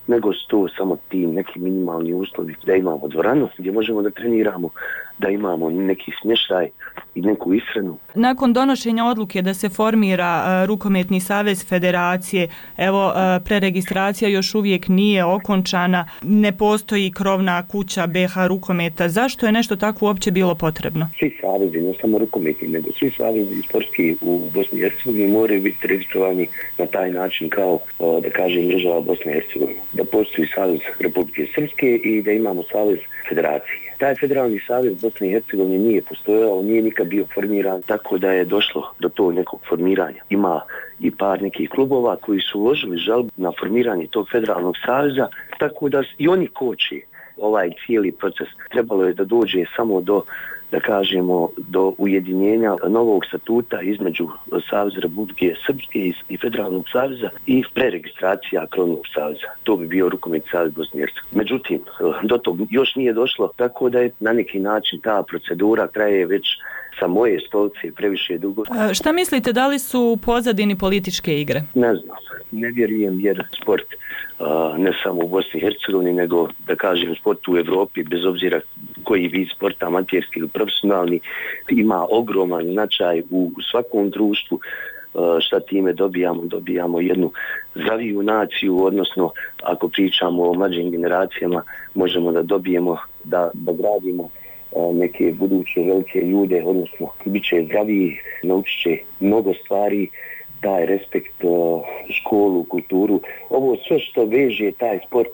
nego su to samo ti neki minimalni uslovi, da imamo dvoranu gdje možemo da treniramo, da imamo neki smještaj i neku ishranu. Nakon donošenja odluke da se formira uh, Rukometni savez federacije, evo uh, preregistracija još uvijek nije okončana, ne postoji krovna kuća be ha rukometa. Zašto je nešto tako uopće bilo potrebno? Svi savezi, ne samo rukometni, nego svi savezi sportski u Bosni i Hercegovini moraju biti registrovani na taj način kao, uh, da kažem, država Bosne i Hercegovine. Da postoji savez Republike Srpske i da imamo savez federacije. Taj federalni savez Bosne i Hercegovine nije postojao, nije nikad bio formiran, tako da je došlo do tog nekog formiranja. Ima i par nekih klubova koji su uložili žalbu na formiranje tog federalnog saveza, tako da i oni koči ovaj cijeli proces. Trebalo je da dođe samo do, da kažemo, do ujedinjenja novog statuta između Saveza Republike Srpske i Federalnog saveza i preregistracija krovnog saveza. To bi bio Rukometni savez Bosne i Hercegovine. Međutim, do tog još nije došlo, tako da je na neki način ta procedura traje već sa moje stolice previše dugo. A šta mislite, da li su u pozadini političke igre? Ne znam, ne vjerujem jer sport Uh, ne samo u Bosni i Hercegovini, nego da kažem sport u Evropi, bez obzira koji vid sporta, amaterski ili profesionalni, ima ogroman značaj u svakom društvu. Šta time dobijamo? Dobijamo jednu zdraviju naciju, odnosno ako pričamo o mlađim generacijama, možemo da dobijemo da, da gradimo neke buduće velike ljude, odnosno bit će zdraviji, naučit će mnogo stvari, taj respekt, školu, kulturu. Ovo sve što veže taj sport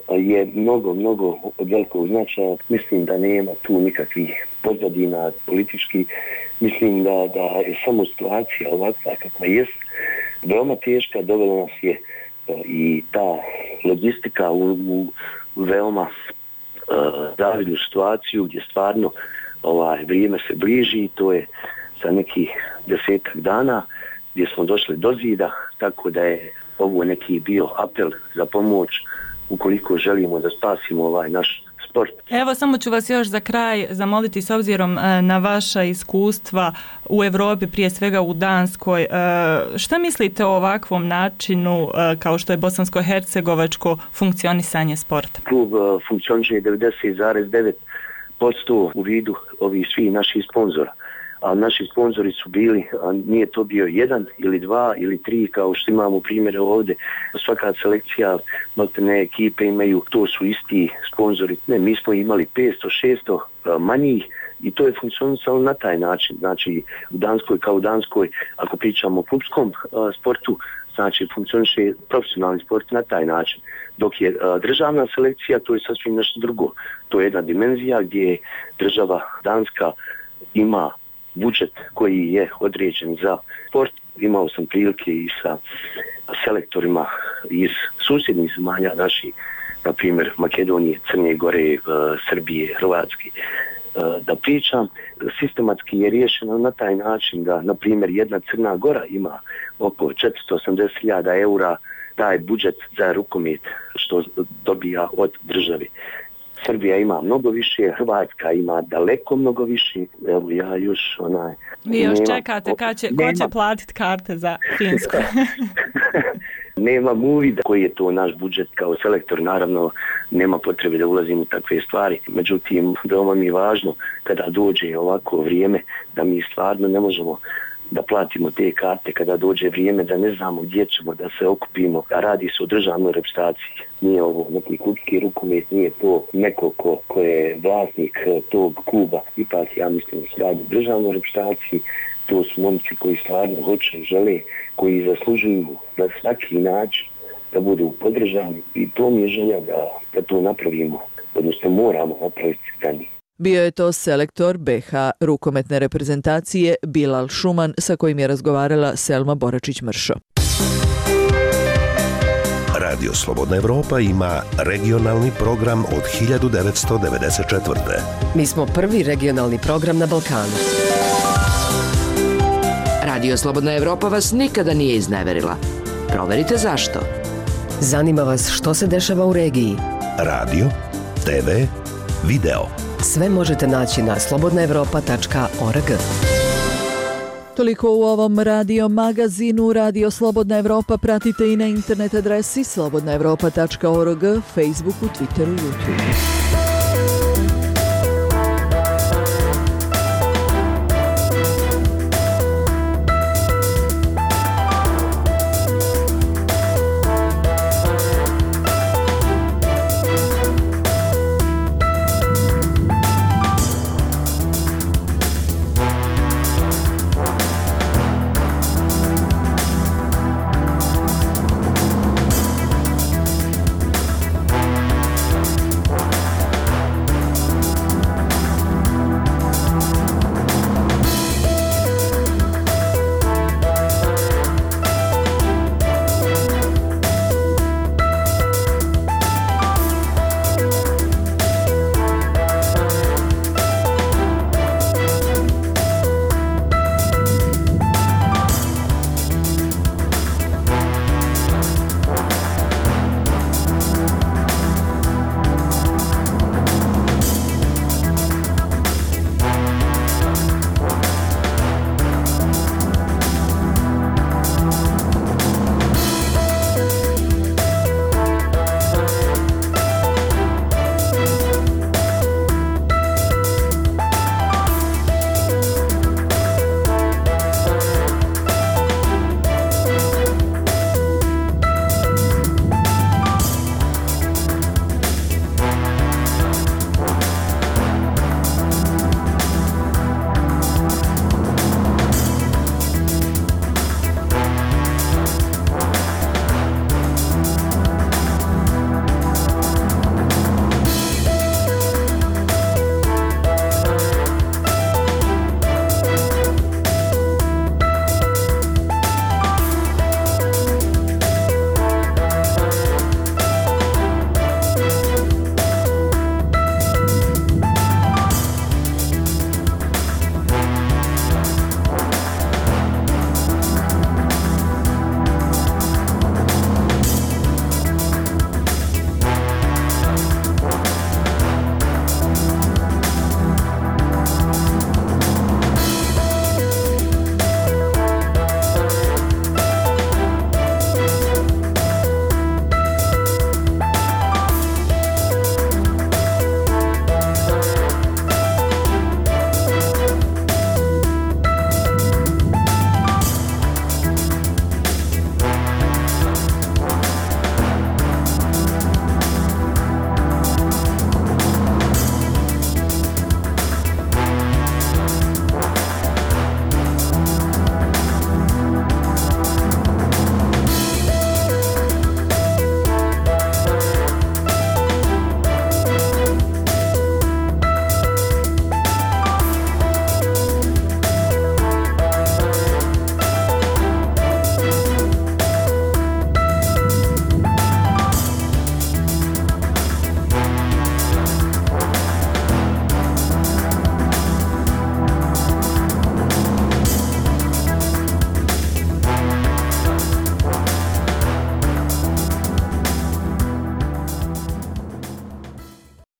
je mnogo, mnogo od velikog značaja. Mislim da nema tu nikakvih pozadina politički. Mislim da, da je samo situacija ovakva kakva jest veoma teška, dovela nas je i ta logistika u, u veoma uh, zavidnu situaciju gdje stvarno ovaj, vrijeme se bliži, to je za nekih desetak dana gdje smo došli do zida, tako da je ovo neki bio apel za pomoć ukoliko želimo da spasimo ovaj naš sport. Evo, samo ću vas još za kraj zamoliti, s obzirom na vaša iskustva u Europi, prije svega u Danskoj. Šta mislite o ovakvom načinu kao što je bosansko-hercegovačko funkcionisanje sporta? Klub funkcioniše devedeset zarez devet posto u vidu ovih svih naših sponzora. A naši sponzori su bili, a nije to bio jedan ili dva ili tri kao što imamo primjere ovdje. Svaka selekcija, maltene ekipe imaju, to su isti sponzori. Ne, mi smo imali petsto šesto manjih i to je funkcionisalo na taj način. Znači u Danskoj kao u Danskoj, ako pričamo o klubskom a, sportu, znači funkcioniše profesionalni sport na taj način. Dok je a, državna selekcija, to je sasvim nešto drugo. To je jedna dimenzija gdje država Danska ima budžet koji je određen za sport. Imao sam prilike i sa selektorima iz susjednih zemalja naših, na primjer Makedonije, Crne Gore, Srbije, Hrvatske, da pričam. Sistematski je riješeno na taj način da, na primjer, jedna Crna Gora ima oko četiristo osamdeset hiljada eura taj budžet za rukomet što dobija od države. Srbija ima mnogo više, Hrvatska ima daleko mnogo više. Evo ja još onaj... Vi još nema, čekate kad će, ko će platiti karte za Finsku. Nemam uvida koji je to naš budžet kao selektor, naravno nema potrebe da ulazim u takve stvari. Međutim, veoma mi je važno kada dođe ovako vrijeme da mi stvarno ne možemo da platimo te karte kada dođe vrijeme, da ne znamo gdje ćemo da se okupimo, a radi se o državnoj reprezentaciji. Nije ovo neki klubski rukomet, nije to neko ko, ko je vlasnik tog kluba. Ipak ja mislim da se radi o državnoj reprezentaciji, to su momci koji stvarno hoće, žele, koji zaslužuju na svaki način da budu podržani i to mi je želja da, da to napravimo, odnosno moramo napraviti za njih. Bio je to selektor be ha rukometne reprezentacije Bilal Šuman sa kojim je razgovarala Selma Boračić-Mršo. Radio Slobodna Evropa ima regionalni program od hiljadu devetsto devedeset četvrte. Mi smo prvi regionalni program na Balkanu. Radio Slobodna Evropa vas nikada nije izneverila. Proverite zašto. Zanima vas što se dešava u regiji. Radio, te ve, video. Sve možete naći na slobodna evropa tačka org. Toliko u ovom radio magazinu. Radio Slobodna Evropa pratite i na internet adresi slobodna evropa tačka org, Facebooku, Twitteru, YouTubeu.